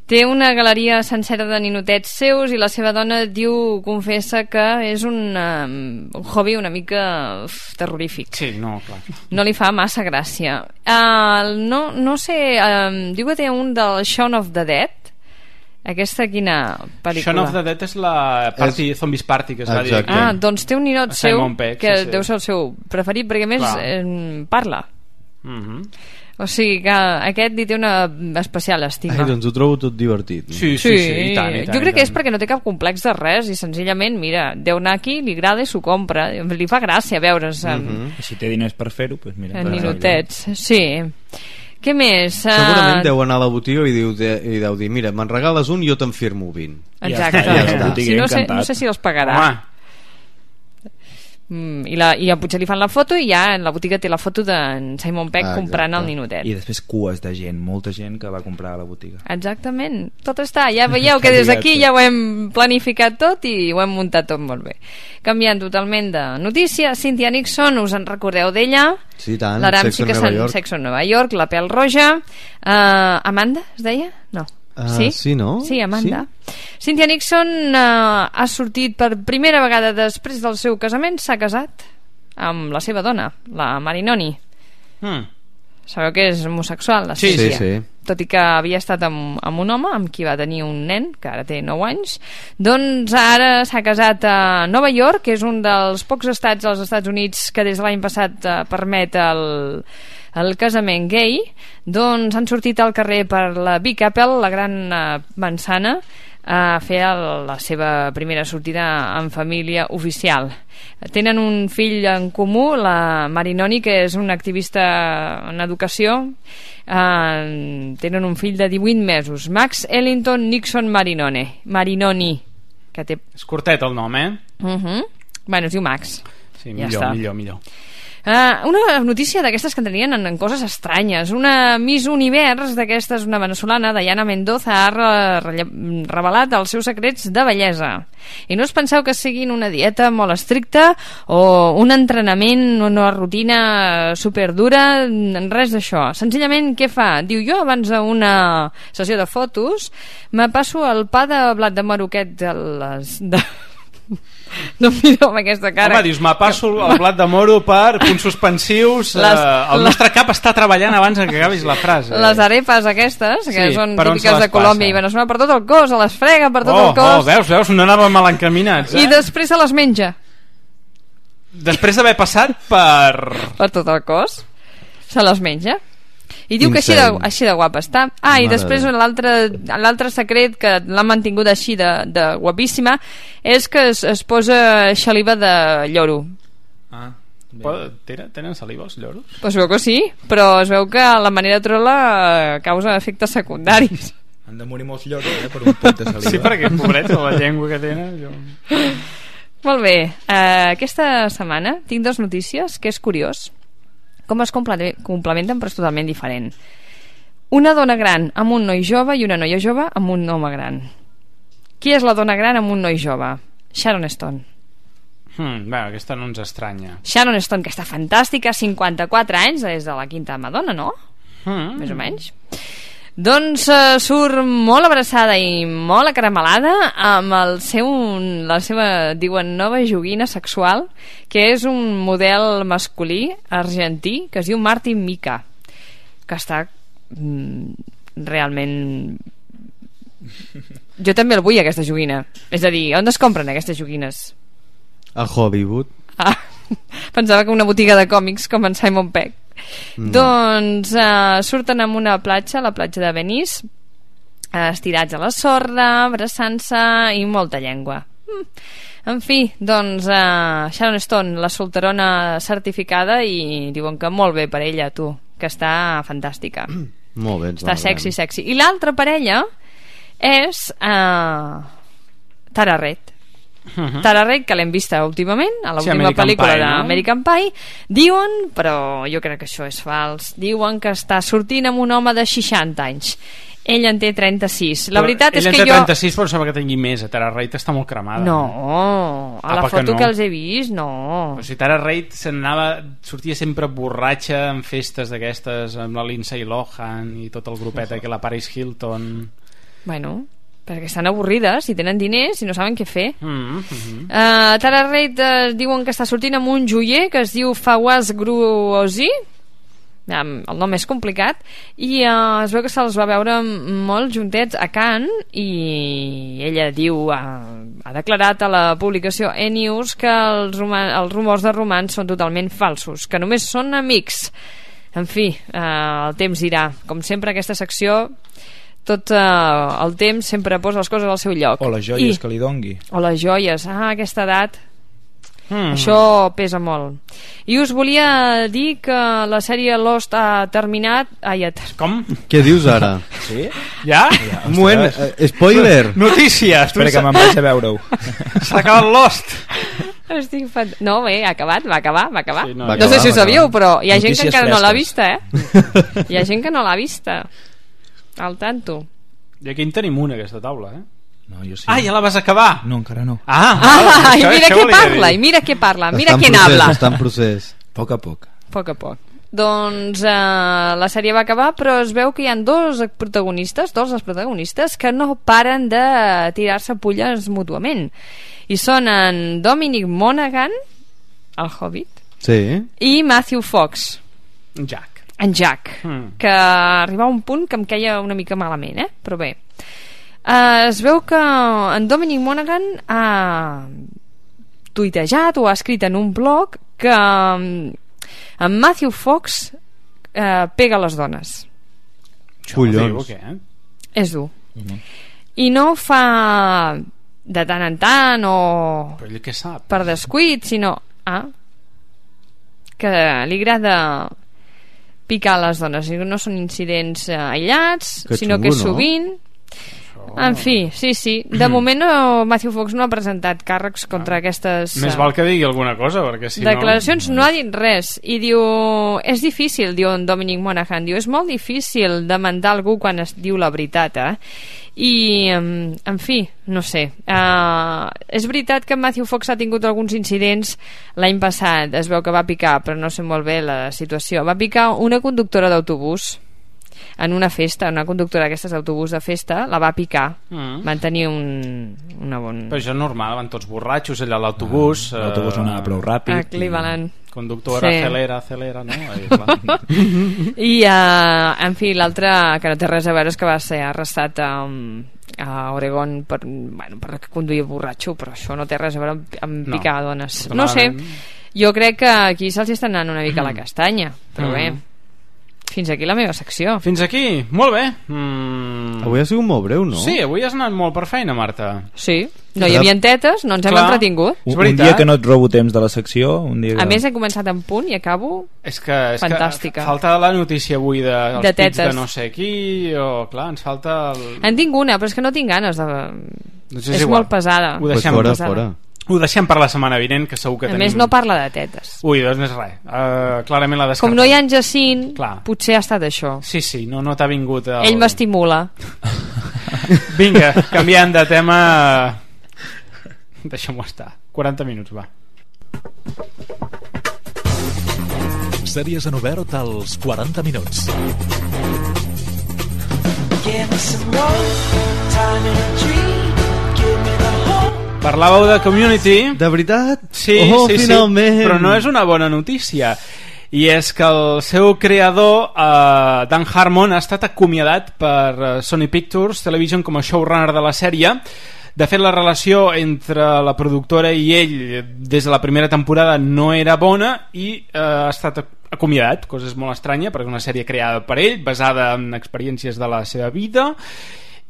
Té una galeria sencera de ninotets seus i la seva dona confessa que és un hobby una mica terrorífic. Sí, no, clar. No li fa massa gràcia. No sé, diu que té un del Shaun of the Dead. Aquesta quina pel·lícula? Shaun of the Dead és la Zombies Party, que es va dir. Doncs té un ninot seu Pegg, que deu ser el seu preferit, perquè a més parla. O sigui que aquest li té una especial estima. Doncs ho trobo tot divertit. Sí, i tant. Jo crec que és perquè no té cap complex de res i senzillament, mira, deu anar aquí, li agrada i s'ho compra. Li fa gràcia veure's si té diners per fer-ho, doncs mira, en ninotets. Sí. Què més? Segurament deu anar a la botiga i deu dir, mira, me'n regales un i jo te'n firmo 20. Exacte. No sé si els pagarà. I potser li fan la foto i ja en la botiga té la foto d'en Simon Pegg comprant el ninotet. I després cues de gent, molta gent que va comprar a la botiga. Exactament, tot està, ja veieu que des d'aquí ja ho hem planificat tot i ho hem muntat tot molt bé. Canviant totalment de notícia, Cynthia Nixon, us en recordeu d'ella? Sí, tant, l'Aram sí que s'en Sexo en Nova York, la pèl roja. Amanda, es deia? No. Sí, no? Sí, Amanda. Sí. Cynthia Nixon ha sortit per primera vegada després del seu casament, s'ha casat amb la seva dona, la Marinoni. Sabeu que és homosexual, la Cynthia? Sí. Tot i que havia estat amb un home amb qui va tenir un nen, que ara té 9 anys, doncs ara s'ha casat a Nova York, que és un dels pocs estats als Estats Units que des de l'any passat permet el casament gay. Doncs han sortit al carrer per la Big Apple, la gran manzana, a fer la seva primera sortida en família oficial. Tenen un fill en comú, la Marinoni, que és una activista en educació. Tenen un fill de 18 mesos, Max Ellington Nixon Marinoni, que té... És curtet el nom, Bueno, es diu Max. Sí, millor. Una notícia d'aquestes que entrarien en coses estranyes. Una Miss Univers d'aquestes, una venezolana, Dayana Mendoza, ha revelat els seus secrets de bellesa. I no us penseu que siguin una dieta molt estricta o un entrenament, una rutina superdura, res d'això. Senzillament, què fa? Diu, jo abans d'una sessió de fotos me passo el pa de blat de moro aquest no em mireu amb aquesta cara. Home, dius, me passo el blat de moro per punts suspensius. El nostre cap està treballant abans que acabis la frase. Les arepas aquestes, que són típiques de Colòmbia i Veneçuela, per tot el cos, a les frega per tot el cos. Veus, no anàvem mal encaminats. I després se les menja. Després d'haver passat per tot el cos, se les menja. I diu que així de guapa està. I després l'altre secret que l'ha mantingut així de guapíssima és que es posa xaliva de lloro. Tenen saliva els lloros? Pues veu que sí, però es veu que la manera trola causa efectes secundaris. Han de morir molts lloros per un pot de saliva. Sí, perquè pobrets, la llengua que tenen Molt bé, aquesta setmana tinc 2 notícies que és curiós com es complementen però és totalment diferent. Una dona gran amb un noi jove i una noia jove amb un home gran. Qui és la dona gran amb un noi jove? Sharon Stone. Bé, aquesta no ens estranya. Sharon Stone, que està fantàstica, 54 anys, des de la quinta Madonna, no? Més o menys. Doncs surt molt abraçada i molt acaramelada amb la seva, diuen, nova joguina sexual, que és un model masculí argentí que es diu Martin Mika, que està realment... Jo també el vull, aquesta joguina. És a dir, on es compren aquestes joguines? A Hollywood. Pensava que una botiga de còmics com en Simon Pegg. No. Doncs surten en una platja, la platja de Venice, estirats a la sorra, abraçant-se i molta llengua. En fi, doncs Sharon Stone, la solterona certificada, i diuen que molt bé per ella, tu, que està fantàstica. Molt bé, està sexy. I l'altra parella és Tara Reid. Tara Reid, que l'hem vista últimament a l'última pel·lícula d'American Pie, diuen, però jo crec que això és fals, diuen que està sortint amb un home de 60 anys. Ell en té 36. La veritat és que jo... Ell en té 36, però sembla que tingui més. Tara Reid està molt cremada. No, a la foto que els he vist, no. O sigui, Tara Reid sortia sempre borratxa en festes d'aquestes, amb la Lindsay Lohan i tot el grupet, que la Paris Hilton... Bueno, perquè estan avorrides i tenen diners i no saben què fer. Tara Reid diuen que està sortint amb un joier que es diu Fawaz Gruosi, el nom és complicat, i es veu que se'ls va veure molt juntets a Cannes, i ella diu, ha declarat a la publicació E-News que els rumors de romans són totalment falsos, que només són amics. En fi, el temps dirà. Com sempre, aquesta secció, tot el temps sempre posa les coses al seu lloc. O les joies que li dongui. O les joies, a aquesta edat això pesa molt. I us volia dir que la sèrie Lost ha terminat. Com? Què dius ara? Sí? Ja? Un moment, spoiler. Notícies. Espera que me'n vaig a veure-ho. S'ha acabat Lost. No, bé, ha acabat, va acabar. Sí, no sé si ho sabíeu, però hi ha gent que encara no l'ha vista, Hi ha gent que no l'ha vista. Al tanto. I aquí en tenim una, aquesta taula, No, jo sí. Ja la vas acabar? No, encara no. I mira què parla, mira qui habla. Està en procés. Poc a poc. Doncs la sèrie va acabar, però es veu que hi ha dos dels protagonistes que no paren de tirar-se pulles mútuament, i són en Dominic Monaghan, el Hobbit, i Matthew Fox, en Jack, que arribava a un punt que em queia una mica malament, però bé, es veu que en Dominic Monaghan ha tuitejat o ha escrit en un blog que en Matthew Fox pega les dones. Collons. És dur. I no ho fa de tant en tant o per descuit, sinó que li agrada picar les dones, i no són incidents aïllats, sinó que és sovint. En fi, sí. De moment Matthew Fox no ha presentat càrrecs contra aquestes... Més val que digui alguna cosa, perquè si declaracions no ha dit res. I diu, és difícil, diu en Dominic Monaghan, diu, és molt difícil demandar algú quan es diu la veritat, I, en fi, no sé. És veritat que Matthew Fox ha tingut alguns incidents l'any passat. Es veu que va picar, però no sé molt bé la situació. Va picar una conductora d'autobús en una festa, una conductora d'aquestes d'autobús de festa, la va picar. Van tenir una bona... Però això és normal, van tots borratxos allà a l'autobús. L'autobús no anava prou ràpid. A Cleveland. Conductora, acelera, no? I, en fi, l'altre que no té res a veure és que va ser arrestat a Oregon per conduir borratxo, però això no té res a veure amb picar dones. No sé, jo crec que aquí se'ls està anant una mica la castanya, però bé, fins aquí la meva secció. Fins aquí, molt bé. Avui ha sigut molt breu, no? Sí, avui has anat molt per feina, Marta. Sí, no hi havia tetes, no ens hem entretingut. Un dia que no et robo temps de la secció, un dia que... A més, he començat en punt i acabo fantàstica. Falta la notícia avui dels de pits de no sé qui, o clar, ens falta... En tinc una, però és que no tinc ganes de... Doncs és molt pesada. Ho deixem fora. Ho deixem per la setmana vinent, que segur que A més no parla de tetes. Ui, doncs no és res. Clarament la descartem. Com no hi ha en Jacint, Clar. potser ha estat això. Sí, no t'ha vingut Ell m'estimula. Vinga, canviant de tema. Deixem-ho estar. 40 minuts, va. Sèries en obert als 40 minuts. Parlàveu de Community. De veritat? Sí, finalment. Però no és una bona notícia. I és que el seu creador, Dan Harmon, ha estat acomiadat per Sony Pictures Television com a showrunner de la sèrie. De fet, la relació entre la productora i ell des de la primera temporada no era bona i ha estat acomiadat, cosa és molt estranya perquè és una sèrie creada per ell, basada en experiències de la seva vida,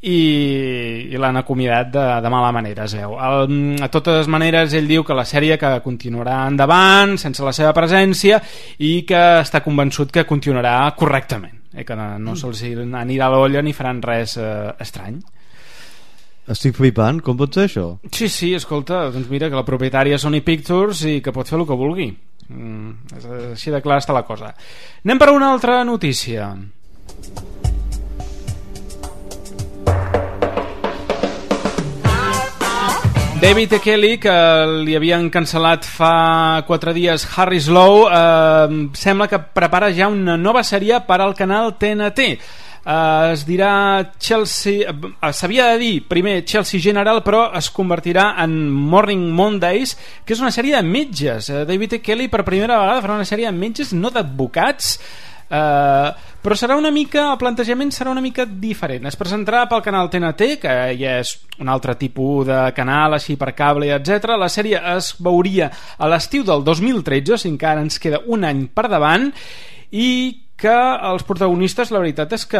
i l'han acomiadat de mala manera, es veu. A totes maneres, ell diu que la sèrie que continuarà endavant sense la seva presència i que està convençut que continuarà correctament, que no se'ls anirà a l'olla ni faran res estrany. Estic flipant, com pot ser això? Sí, escolta, doncs mira que la propietària és Sony Pictures i que pot fer el que vulgui. Així de clar està la cosa. Anem per una altra notícia. David E. Kelly, que li havien cancel·lat fa 4 dies Harry Slow, sembla que prepara ja una nova sèrie per al canal TNT. Es dirà Chelsea, s'havia de dir primer Chelsea General, però es convertirà en Morning Mondays, que és una sèrie de metges. David E. Kelly per primera vegada farà una sèrie de metges, no d'advocats, però serà una mica, el plantejament serà una mica diferent. Es presentarà pel canal TNT, que ja és un altre tipus de canal així per cable, etc. La sèrie es veuria a l'estiu del 2013, o sigui que encara ens queda un any per davant, i que els protagonistes, la veritat és que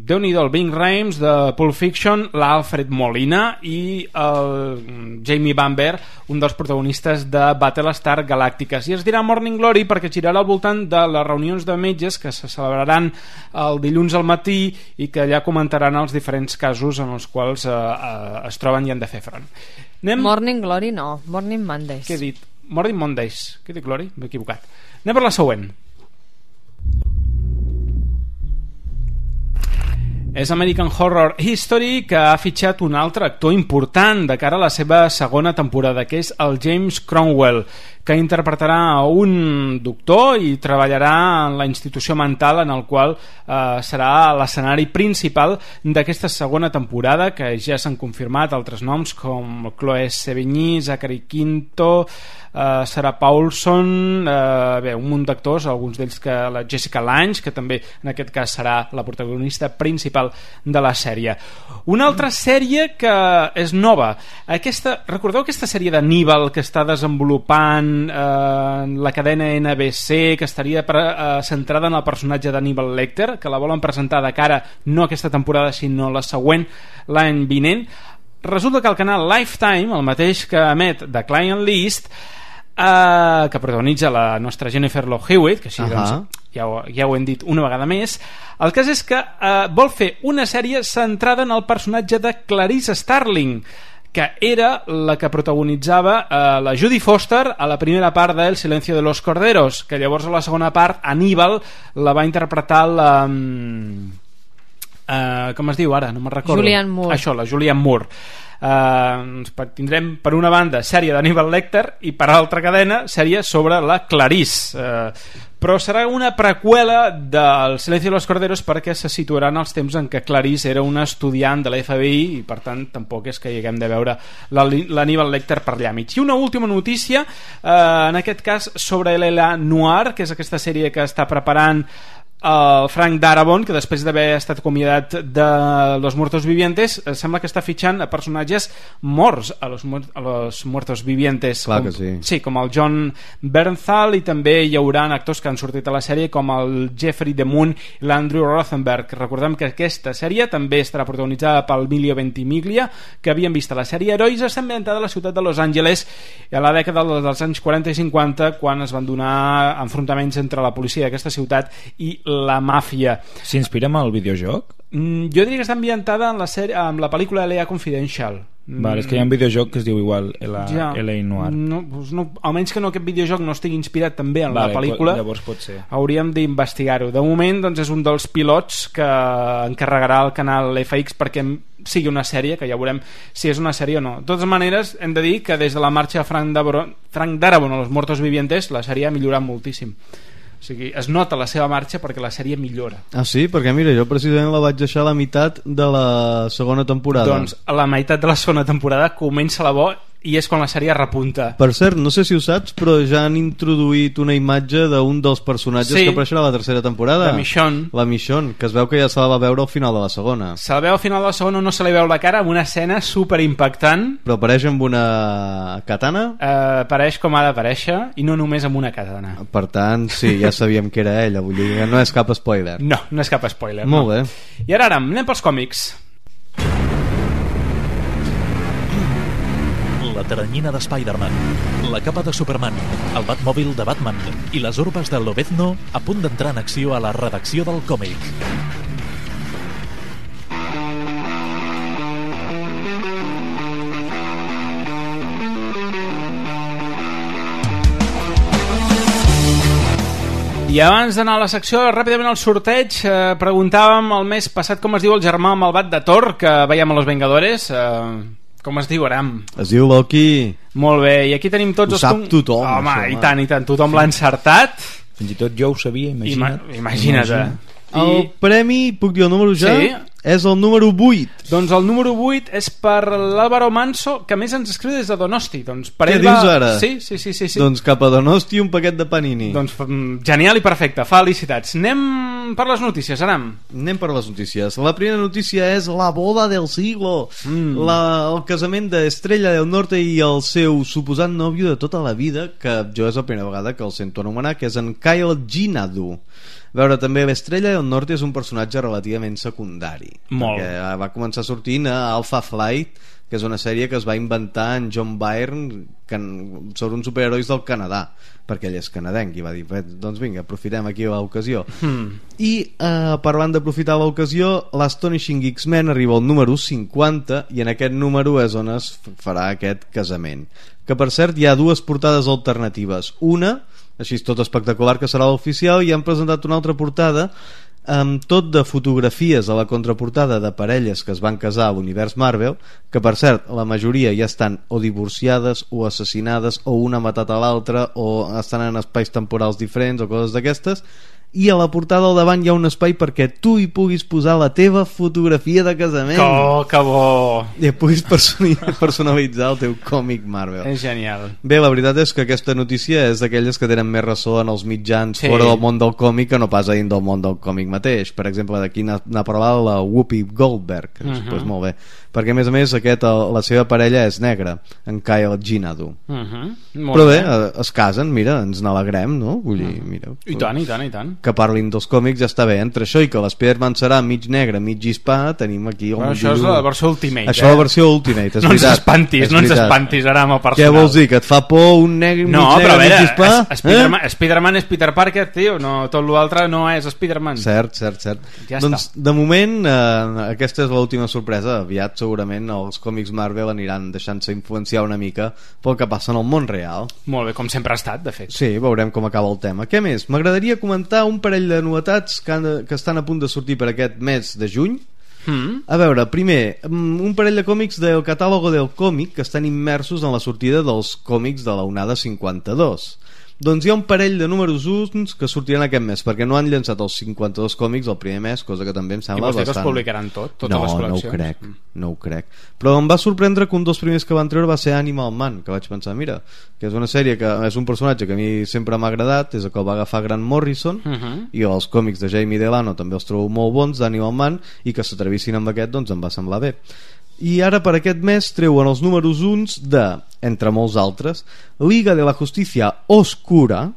Déu-n'hi-do, el Ving Rhames de Pulp Fiction, l'Alfred Molina i el Jamie Bamber, un dels protagonistes de Battlestar Galàctiques. I es dirà Morning Glory perquè girarà al voltant de les reunions de metges que se celebraran el dilluns al matí i que allà comentaran els diferents casos en els quals es troben i han de fer front. Morning Glory no, Morning Mondays. Què he dit? Morning Mondays. Què he dit, Glory? M'he equivocat. Anem per la següent. És American Horror History, que ha fitxat un altre actor important de cara a la seva segona temporada, que és el James Cromwell, que interpretarà un doctor i treballarà en la institució mental en el qual serà l'escenari principal d'aquesta segona temporada, que ja s'han confirmat altres noms com Chloe Sevigny, Zachary Quinto, Sarah Paulson, un munt d'actors, alguns d'ells que la Jessica Lange, que també en aquest cas serà la protagonista principal de la sèrie. Una altra sèrie que és nova, recordeu aquesta sèrie d'Anníbal que està desenvolupant la cadena NBC, que estaria centrada en el personatge d'Hannibal Lecter, que la volen presentar de cara no aquesta temporada sinó la següent, l'any vinent? Resulta que el canal Lifetime, el mateix que emet The Client List, que protagonitza la nostra Jennifer Love Hewitt, que així doncs, ja ho hem dit una vegada més, el cas és que vol fer una sèrie centrada en el personatge de Clarice Starling, que era la que protagonitzava la Judy Foster a la primera part de El silencio de los corderos, que llavors a la segona part Aníbal la va interpretar la... com es diu ara? No me'n recordo. Julianne Moore. Això, la Julianne Moore. Tindrem per una banda sèrie d'Hannibal Lecter i per altra cadena sèrie sobre la Clarice, però serà una preqüela del Silencio de los Corderos perquè se situarà en els temps en què Clarice era una estudiant de la FBI i per tant tampoc és que hi haguem de veure l'Hannibal Lecter per allà mig. I una última notícia, en aquest cas sobre l'L.A. Noir, que és aquesta sèrie que està preparant el Frank Darabont, que després d'haver estat acomiadat de Los Muertos Vivientes sembla que està fitxant a personatges morts a los Muertos Vivientes. Clar que sí. Sí, com el John Bernthal, i també hi haurà actors que han sortit a la sèrie com el Jeffrey DeMunn i l'Andrew Rothenberg. Recordem que aquesta sèrie també estarà protagonitzada pel Emilio Ventimiglia, que havíem vist a la sèrie Herois, està ambientada a la ciutat de Los Angeles a la dècada dels anys 40 i 50, quan es van donar enfrontaments entre la policia d'aquesta ciutat i la màfia. S'inspira en el videojoc? Jo diria que està ambientada en la pel·lícula L.A. Confidential. Vale, és que hi ha un videojoc que es diu igual L.A. Noir. No, almenys que aquest videojoc no estigui inspirat també en la pel·lícula, llavors pot ser. Hauríem d'investigar-ho. De moment doncs, és un dels pilots que encarregarà el canal FX perquè sigui una sèrie, que ja veurem si és una sèrie o no. De totes maneres, hem de dir que des de la marxa de Frank Darabont a Los Muertos Vivientes la sèrie ha millorat moltíssim. O sigui, es nota la seva marxa perquè la sèrie millora. Ah, sí? Perquè mira, jo precisament la vaig deixar a la meitat de la segona temporada. Doncs a la meitat de la segona temporada comença la bo i és quan la sèrie repunta. Per cert, no sé si ho saps, però ja han introduït una imatge d'un dels personatges que apareixerà a la tercera temporada. La Michonne. La Michonne, que es veu que ja se la va veure al final de la segona. Se la veu al final de la segona, no se li veu la cara, amb una escena super impactant. Però apareix amb una katana? Apareix com ha d'aparèixer i no només amb una katana. Per tant, sí, ja sabíem que era ella, vull dir que no és cap spoiler. No, no és cap spoiler. Molt bé. I ara, anem pels còmics. La teranyina de Spider-Man, la capa de Superman, el Batmòbil de Batman i les urbes de Lobezno a punt d'entrar en acció a la redacció del còmic. I abans d'anar a la secció, ràpidament al sorteig, preguntàvem el mes passat com es diu el germà malvat de Thor, que veiem a Los Vengadores. Com es diu, Aram? Es diu Loki. Molt bé, i aquí tenim tots ho sap tothom. Home, això, i tant, tothom l'ha encertat. Fins i tot jo ho sabia, imagina't. Imagina't. El premi, puc dir el número ja? Sí. És el número 8. Doncs el número 8 és per l'Àlvaro Manso, que més ens escriu des de Donosti. Doncs per Què ell dius ara? Sí. Doncs cap a Donosti un paquet de panini. Doncs genial i perfecte, felicitats. Anem per les notícies, Aram. Anem per les notícies. La primera notícia és la boda del siglo. El casament d'Estrella del Norte i el seu suposat nòvio de tota la vida, que jo és la primera vegada que el sento anomenar, que és en Kyle Ginadu. A veure, també l'Estrella del Norte és un personatge relativament secundari. Molt. Perquè va començar sortint a Alpha Flight, que és una sèrie que es va inventar en John Byrne sobre uns superherois del Canadà, perquè ell és canadenc i va dir, doncs vinga, aprofitem aquí l'ocasió. I parlant d'aprofitar l'ocasió, l'Astonishing X-Men arriba al número 50 i en aquest número és on es farà aquest casament, que per cert hi ha dues portades alternatives. Una, així tot espectacular, que serà l'oficial, i han presentat una altra portada amb tot de fotografies a la contraportada de parelles que es van casar a l'univers Marvel, que per cert la majoria ja estan o divorciades o assassinades o una ha matat a l'altra o estan en espais temporals diferents o coses d'aquestes, i a la portada al davant hi ha un espai perquè tu hi puguis posar la teva fotografia de casament. Que bo! I puguis personalitzar el teu còmic Marvel. És genial. Bé, la veritat és que aquesta notícia és d'aquelles que tenen més ressò en els mitjans fora del món del còmic que no pas a dins del món del còmic mateix. Per exemple, d'aquí n'ha parlat la Whoopi Goldberg, doncs molt bé, perquè a més la seva parella és negra, en Kyle Ginadu. Però bé, es casen, mira, ens n'alegrem, no? Vull dir, mira, i tant que parlin dels còmics ja està bé. Entre això i que l'Spider-Man serà mig negre, mig hispà, tenim aquí això és la versió Ultimate. Això és la versió Ultimate, és veritat. No ens espantis ara amb el personal. Què vols dir, que et fa por un negre, mig negre, mig hispà? Spider-Man és Peter Parker, tio, no, tot l'altre no és Spider-Man. Cert. Ja doncs està. de moment aquesta és l'última sorpresa. Aviat segurament els còmics Marvel aniran deixant-se influenciar una mica pel que passa en el món real. Molt bé, com sempre ha estat, de fet. Sí, veurem com acaba el tema. Què més? M'agradaria comentar un parell de novetats que estan a punt de sortir per aquest mes de juny. A veure, primer, un parell de còmics del catàlogo del còmic que estan immersos en la sortida dels còmics de la onada 52. Doncs hi ha un parell de números 1 que sortiran aquest mes, perquè no han llançat els 52 còmics el primer mes, cosa que també em sembla bastant... I vols dir que es publicaran totes les col·leccions? No ho crec. Però em va sorprendre que un dels primers que van treure va ser Animal Man, que vaig pensar, mira, que és una sèrie que és un personatge que a mi sempre m'ha agradat, és el que el va agafar Grant Morrison, i els còmics de Jamie Delano també els trobo molt bons, d'Animal Man, i que s'atrevissin amb aquest, doncs em va semblar bé. I ara per aquest mes treuen els números 1 de, entre molts altres, Liga de la Justicia Oscura,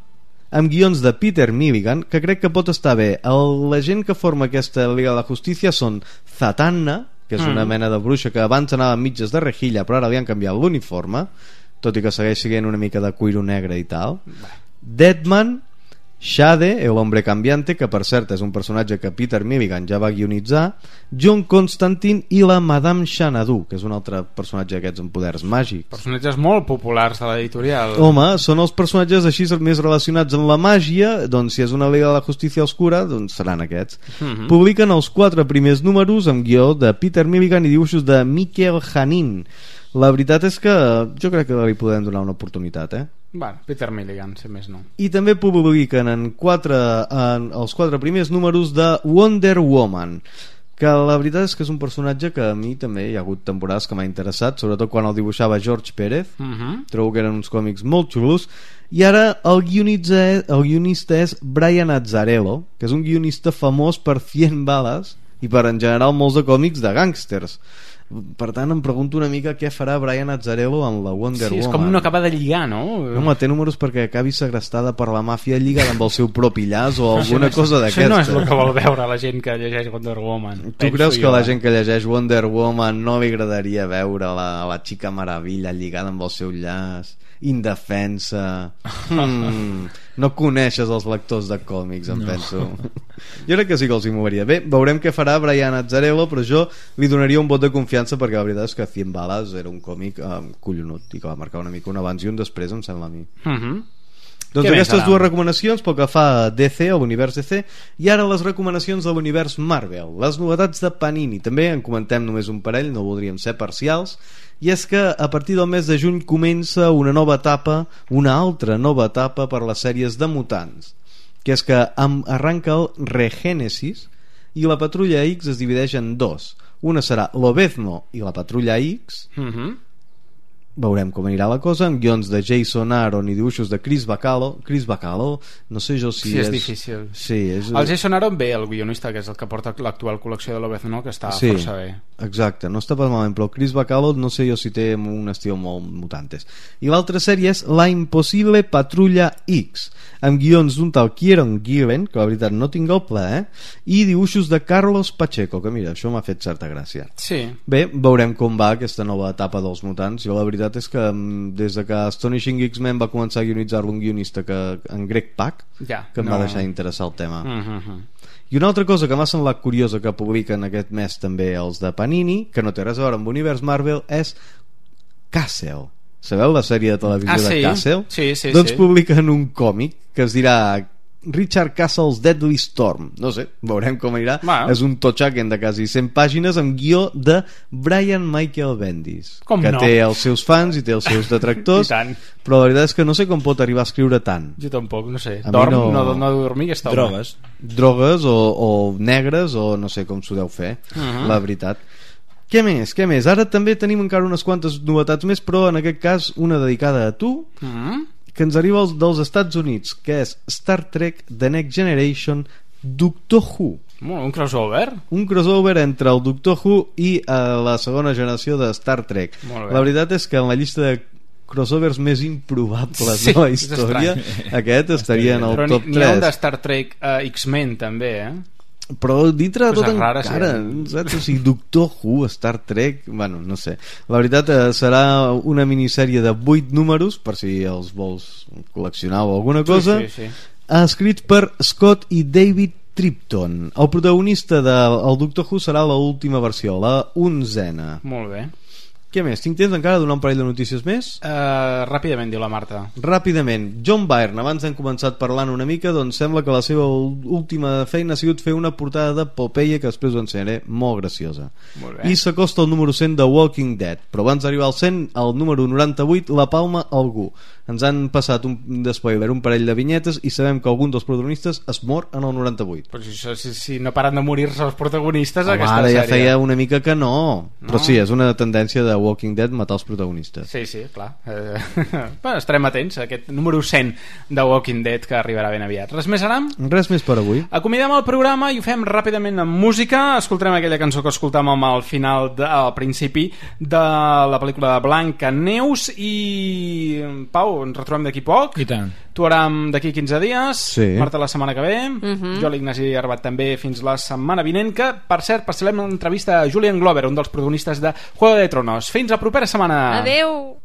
amb guions de Peter Milligan, que crec que pot estar bé. La gent que forma aquesta Liga de la Justicia són Zatanna, que és una mena de bruixa que abans anava amb mitges de rejilla però ara li han canviat l'uniforme, tot i que segueix sent una mica de cuiro negre i tal. Deadman, Shade, el hombre cambiante, que per cert és un personatge que Peter Milligan ja va guionitzar, John Constantine i la Madame Xanadu, que és un altre personatge d'aquests amb poders màgics. Personatges molt populars de l'editorial. Home, són els personatges així més relacionats amb la màgia, doncs si és una Liga de la Justícia Oscura, doncs seran aquests. Publiquen els 4 primers números amb guió de Peter Milligan i dibuixos de Mikel Janín. La veritat és que jo crec que li podem donar una oportunitat, Bueno, Peter Milligan, si més no. I també publiquen els 4 primers números de Wonder Woman, que la veritat és que és un personatge que a mi també hi ha hagut temporades que m'ha interessat, sobretot quan el dibuixava George Pérez. Trobo que eren uns còmics molt xulos. I ara el guionista és Brian Azzarello, que és un guionista famós per 100 bales i per en general molts de còmics de gàngsters. Per tant em pregunto una mica què farà Brian Azzarello amb la Wonder Woman. És com no acaba de lligar, no? Home, té números perquè acabi segrestada per la màfia lligada amb el seu propi llaç o alguna cosa d'aquesta. Això no és el que vol veure la gent que llegeix Wonder Woman. Tu creus que la gent que llegeix Wonder Woman no li agradaria veure la Chica Maravilla lligada amb el seu llaç, indefensa? No coneixes els lectors de còmics, em penso. Jo crec que sí que els hi moveria. Bé, veurem què farà Brian Azzarello, però jo li donaria un vot de confiança perquè la veritat és que 100 bales era un còmic collonut i que va marcar una mica un abans i un després, em sembla a mi. Doncs aquestes dues recomanacions pel que fa a DC, a l'univers DC, i ara les recomanacions de l'univers Marvel, les novetats de Panini. També en comentem només un parell, no voldríem ser parcials, i és que a partir del mes de juny comença una nova etapa, una altra nova etapa per les sèries de mutants, que és que arranca el Regénesis i la Patrulla X es divideix en 2. Una serà Lobezno i la Patrulla X. Veurem com anirà la cosa, amb guions de Jason Aaron i dibuixos de Chris Bacalo, no sé jo si sí, és difícil. Sí, és... El Jason Aaron ve, el guionista, que és el que porta l'actual col·lecció de Lobezno, que està força bé. Exacte, no està pas malament, però Chris Bacalo no sé jo si té un estil molt mutantes. I l'altra sèrie és La Impossible Patrulla X, amb guions d'un tal Kieron Gillen, que la veritat no tinc el plaer, i dibuixos de Carlos Pacheco, que mira, això m'ha fet certa gràcia. Sí. Bé, veurem com va aquesta nova etapa dels mutants. Jo la veritat és que des de que Astonishing X-Men va començar a guionitzar-lo un guionista en Greg Pak, que em va deixar interessar el tema. I una altra cosa que m'ha semblat curiosa que publiquen aquest mes també els de Panini, que no té res a veure amb l'univers Marvel, és Castle. Sabeu la sèrie de televisió de Castle? Sí. Doncs publiquen un còmic que es dirà Richard Castle's Deadly Storm. No sé, veurem com anirà. És un totxaken de quasi 100 pàgines amb guió de Brian Michael Bendis, que té els seus fans i té els seus detractors, però la veritat és que no sé com pot arribar a escriure tant. Jo tampoc, no sé. No dormir aquesta hora. Drogues o negres o no sé com s'ho deu fer, la veritat. Què més? Ara també tenim encara unes quantes novetats més, però en aquest cas una dedicada a tu, que ens arriba dels Estats Units, que és Star Trek The Next Generation Doctor Who. Un crossover? Un crossover entre el Doctor Who i la segona generació de Star Trek. La veritat és que en la llista de crossovers més improbables de la història, aquest estaria en el top 3. N'hi ha un de Star Trek X-Men també, però dintre de tot encara saps? O sigui, Doctor Who, Star Trek, bueno, no sé, la veritat serà una minissèrie de 8 números per si els vols col·leccionar o alguna cosa, escrits per Scott i David Tripton. El protagonista del Doctor Who serà l'última versió, la 11a. Molt bé. Què més? Tinc temps encara de donar un parell de notícies més? Ràpidament, diu la Marta. Ràpidament. John Byrne, abans hem començat parlant una mica, doncs sembla que la seva última feina ha sigut fer una portada de Popeye, que després ho ensenyaré, molt graciosa. Molt bé. I s'acosta al número 100 de Walking Dead, però abans d'arribar al 100, al número 98, la palma algú. Ens han passat un spoiler, un parell de vinyetes, i sabem que algun dels protagonistes es mor en el 98. Però si no paren de morir-se els protagonistes, aquesta ara sèrie. Ja feia una mica que no. Però sí, és una tendència de Walking Dead matar els protagonistes. Sí, clar. Estarem atents a aquest número 100 de Walking Dead que arribarà ben aviat. Res més, Aram? Res més per avui. Acomiadem el programa i ho fem ràpidament amb música. Escoltarem aquella cançó que escoltàvem al final, al principi de la pel·lícula de Blancaneus. I Pau, ens retrobem d'aquí poc. I tant. Tu, Aram, d'aquí 15 dies. Sí. Marta, la setmana que ve. Jo, l'Ignasi Arbat, també fins la setmana vinent, que, per cert, passarem una entrevista a Julian Glover, un dels protagonistes de Juego de Tronos. Fins la propera setmana. Adeu.